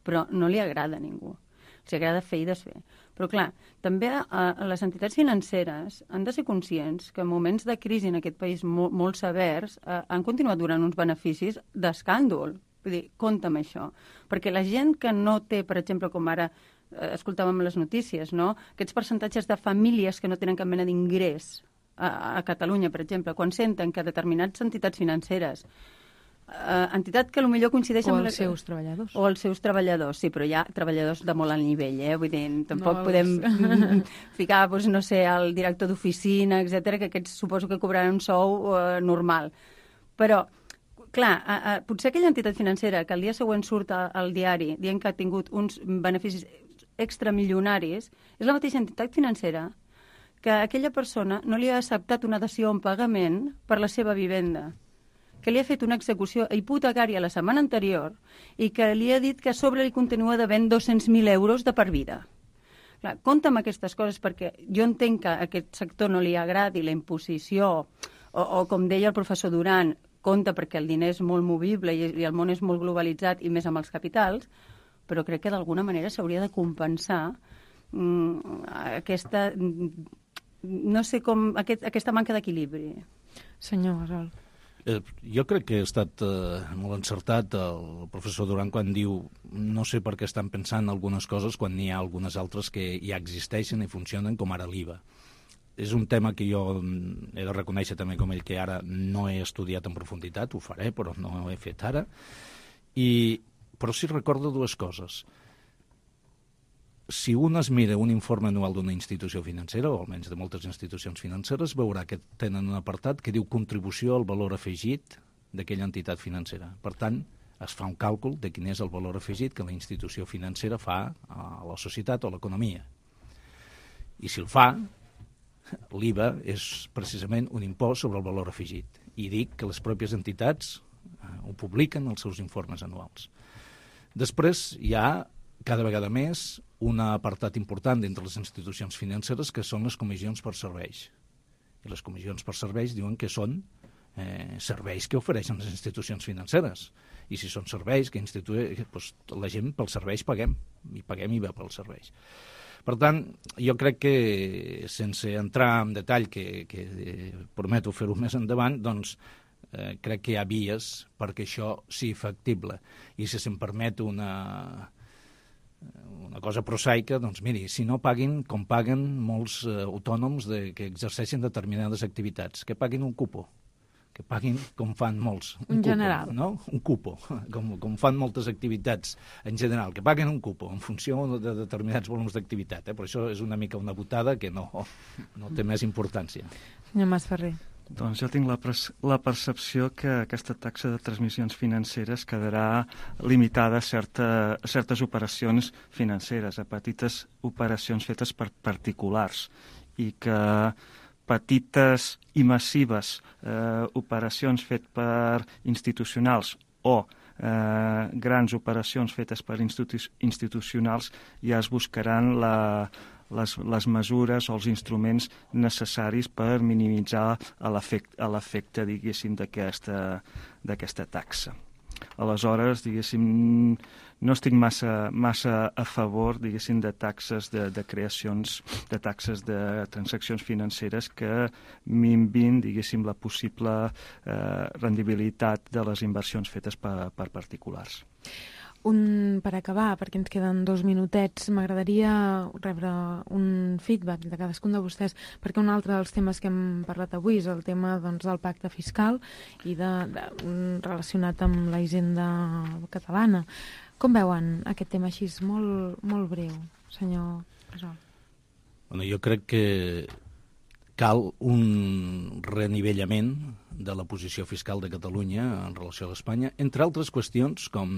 però no li agrada a ningú. Els agrada fer i desfer. Però, clar, també a les entitats financeres han de ser conscients que en moments de crisi en aquest país molt, molt severs eh, han continuat donant uns beneficis d'escàndol. Vull dir, compte amb això. Perquè la gent que no té, per exemple, com ara eh, escoltàvem les notícies, no? Aquests percentatges de famílies que no tenen cap mena d'ingrés a, a Catalunya, per exemple, quan senten que determinats entitats financeres Uh, entitat que potser coincideix o amb... els la... seus treballadors. O els seus treballadors, sí, però hi ha treballadors de molt alt nivell, eh? Vull dir, tampoc no, podem els... ficar, doncs, no sé, el director d'oficina, etcètera, que aquests suposo que cobraran un sou uh, normal. Però, clar, uh, uh, potser aquella entitat financera que el dia següent surt al diari dient que ha tingut uns beneficis extramilionaris, és la mateixa entitat financera que aquella persona no li ha acceptat una dació en pagament per la seva vivenda, que li ha fet una execució hipotecària la setmana anterior i que li ha dit que a sobre li continua devent dos-cents mil euros de per vida. Clar, compta amb aquestes coses perquè jo entenc que a aquest sector no li agradi la imposició o, o com deia el professor Duran, compta perquè el diner és molt movible i, i el món és molt globalitzat i més amb els capitals, però crec que d'alguna manera s'hauria de compensar mm, aquesta, no sé com, aquest, aquesta manca d'equilibri. Senyor Gasol. Eh, jo crec que ha estat eh, molt encertat el professor Duran quan diu no sé per què estan pensant algunes coses quan n'hi ha algunes altres que ja existeixen i funcionen, com ara l'I V A. És un tema que jo he de reconèixer també com ell que ara no he estudiat en profunditat, ho faré, però no ho he fet ara. I, però sí recordo dues coses. Si un es mira un informe anual d'una institució financera, o almenys de moltes institucions financeres, veurà que tenen un apartat que diu contribució al valor afegit d'aquella entitat financera. Per tant, es fa un càlcul de quin és el valor afegit que la institució financera fa a la societat o a l'economia. I si el fa, l'I V A és precisament un impost sobre el valor afegit. I dic que les pròpies entitats eh, ho publiquen als seus informes anuals. Després hi ha, cada vegada més, un apartat important d'entre les institucions financeres que són les comissions per serveis. I les comissions per serveis diuen que són eh, serveis que ofereixen les institucions financeres. I si són serveis que instituï, doncs, la gent pels serveis paguem, i paguem I V A pels serveis. Per tant, jo crec que, sense entrar en detall, que, que eh, prometo fer-ho més endavant, doncs eh, crec que hi ha vies perquè això sigui factible. I si se'm permet una... una cosa prosaica, doncs miri, si no paguin com paguen molts eh, autònoms de, que exerceixen determinades activitats, que paguin un cupo, que paguin com fan molts. Un, un cupo, general. No? Un cupo, com, com fan moltes activitats en general, que paguen un cupo en funció de determinats volums d'activitat. Eh? Però això és una mica una botada que no, no té més importància. Senyor Masferrer. Doncs jo tinc la, la percepció que aquesta taxa de transmissions financeres quedarà limitada a, certa, a certes operacions financeres, a petites operacions fetes per particulars, i que petites i massives eh, operacions fetes per institucionals o eh, grans operacions fetes per institu institucionals ja es buscaran la... Les, les mesures o els instruments necessaris per minimitzar l'efecte, diguéssim, d'aquesta taxa. Aleshores, diguéssim, no estic massa, massa a favor, diguéssim, de taxes de, de creacions, de taxes de transaccions financeres que minvin, diguéssim, la possible eh, rendibilitat de les inversions fetes per, per particulars. Un, per acabar, perquè ens queden dos minutets, m'agradaria rebre un feedback de cadascun de vostès, perquè un altre dels temes que hem parlat avui és el tema, doncs, del pacte fiscal i de, de, relacionat amb la hisenda catalana. Com veuen aquest tema així, molt, molt breu, senyor Gasol? Bueno, jo crec que cal un renivellament de la posició fiscal de Catalunya en relació a l'Espanya, entre altres qüestions com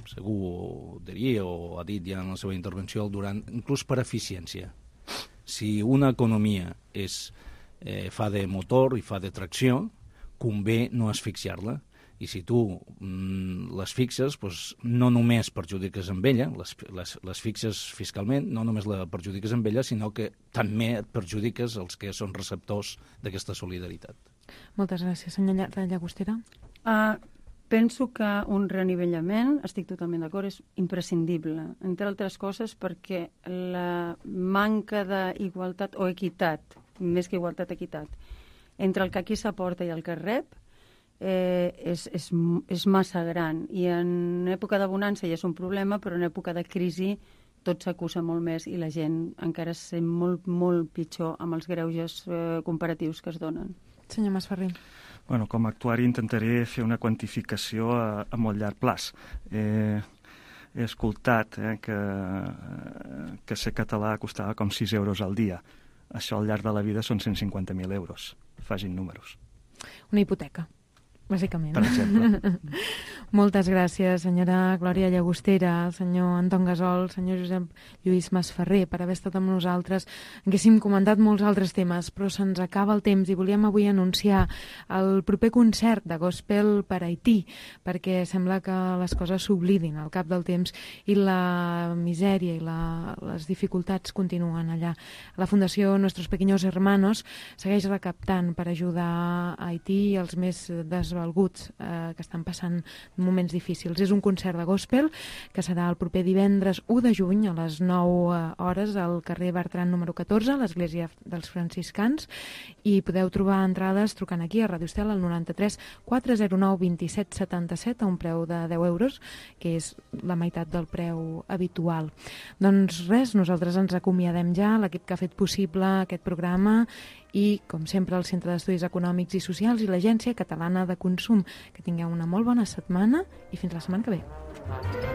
segur ho diria o ha dit ja en la seva intervenció el Duran, inclús per eficiència. Si una economia és, eh, fa de motor i fa de tracció, convé no asfixiar-la. I si tu mm, les fixes, doncs, no només perjudiques amb ella, les, les, les fixes fiscalment, no només la perjudiques amb ella, sinó que també et perjudiques els que són receptors d'aquesta solidaritat. Moltes gràcies. Senyor Llagostera. Uh, penso que un renivellament, estic totalment d'acord, és imprescindible, entre altres coses perquè la manca d'igualtat o equitat, més que igualtat, equitat, entre el que aquí s'aporta i el que rep, Eh, és, és, és massa gran, i en època de bonança ja és un problema, però en època de crisi tot s'acusa molt més i la gent encara es sent molt, molt pitjor amb els greuges eh, comparatius que es donen. Senyor Masferrer. Bueno, com a actuari intentaré fer una quantificació a, a molt llarg plaç. Eh, he escoltat eh, que, que ser català costava com sis euros al dia. Això al llarg de la vida són cent cinquanta mil euros. Facin números. Una hipoteca. bàsicament. Per exemple. Moltes gràcies, senyora Glòria Llagostera, senyor Anton Gasol, senyor Josep Lluís Masferrer, per haver estat amb nosaltres. Haguéssim comentat molts altres temes, però se'ns acaba el temps i volíem avui anunciar el proper concert de gospel per Haití, perquè sembla que les coses s'oblidin al cap del temps i la misèria i la, les dificultats continuen allà. La Fundació Nuestros Pequeños Hermanos segueix recaptant per ajudar a Haití i els més desvalguts eh, que estan passant moments difícils. És un concert de gospel que serà el proper divendres u de juny a les nou hores al carrer Bertran número catorze, a l'Església dels Franciscans, i podeu trobar entrades trucant aquí a Ràdio Estel al noranta-tres quatre zero nou vint set setanta-set a un preu de deu euros, que és la meitat del preu habitual. Doncs res, nosaltres ens acomiadem ja, l'equip que ha fet possible aquest programa i, com sempre, el Centre d'Estudis Econòmics i Socials i l'Agència Catalana de Consum. Que tingueu una molt bona setmana i fins la setmana que ve.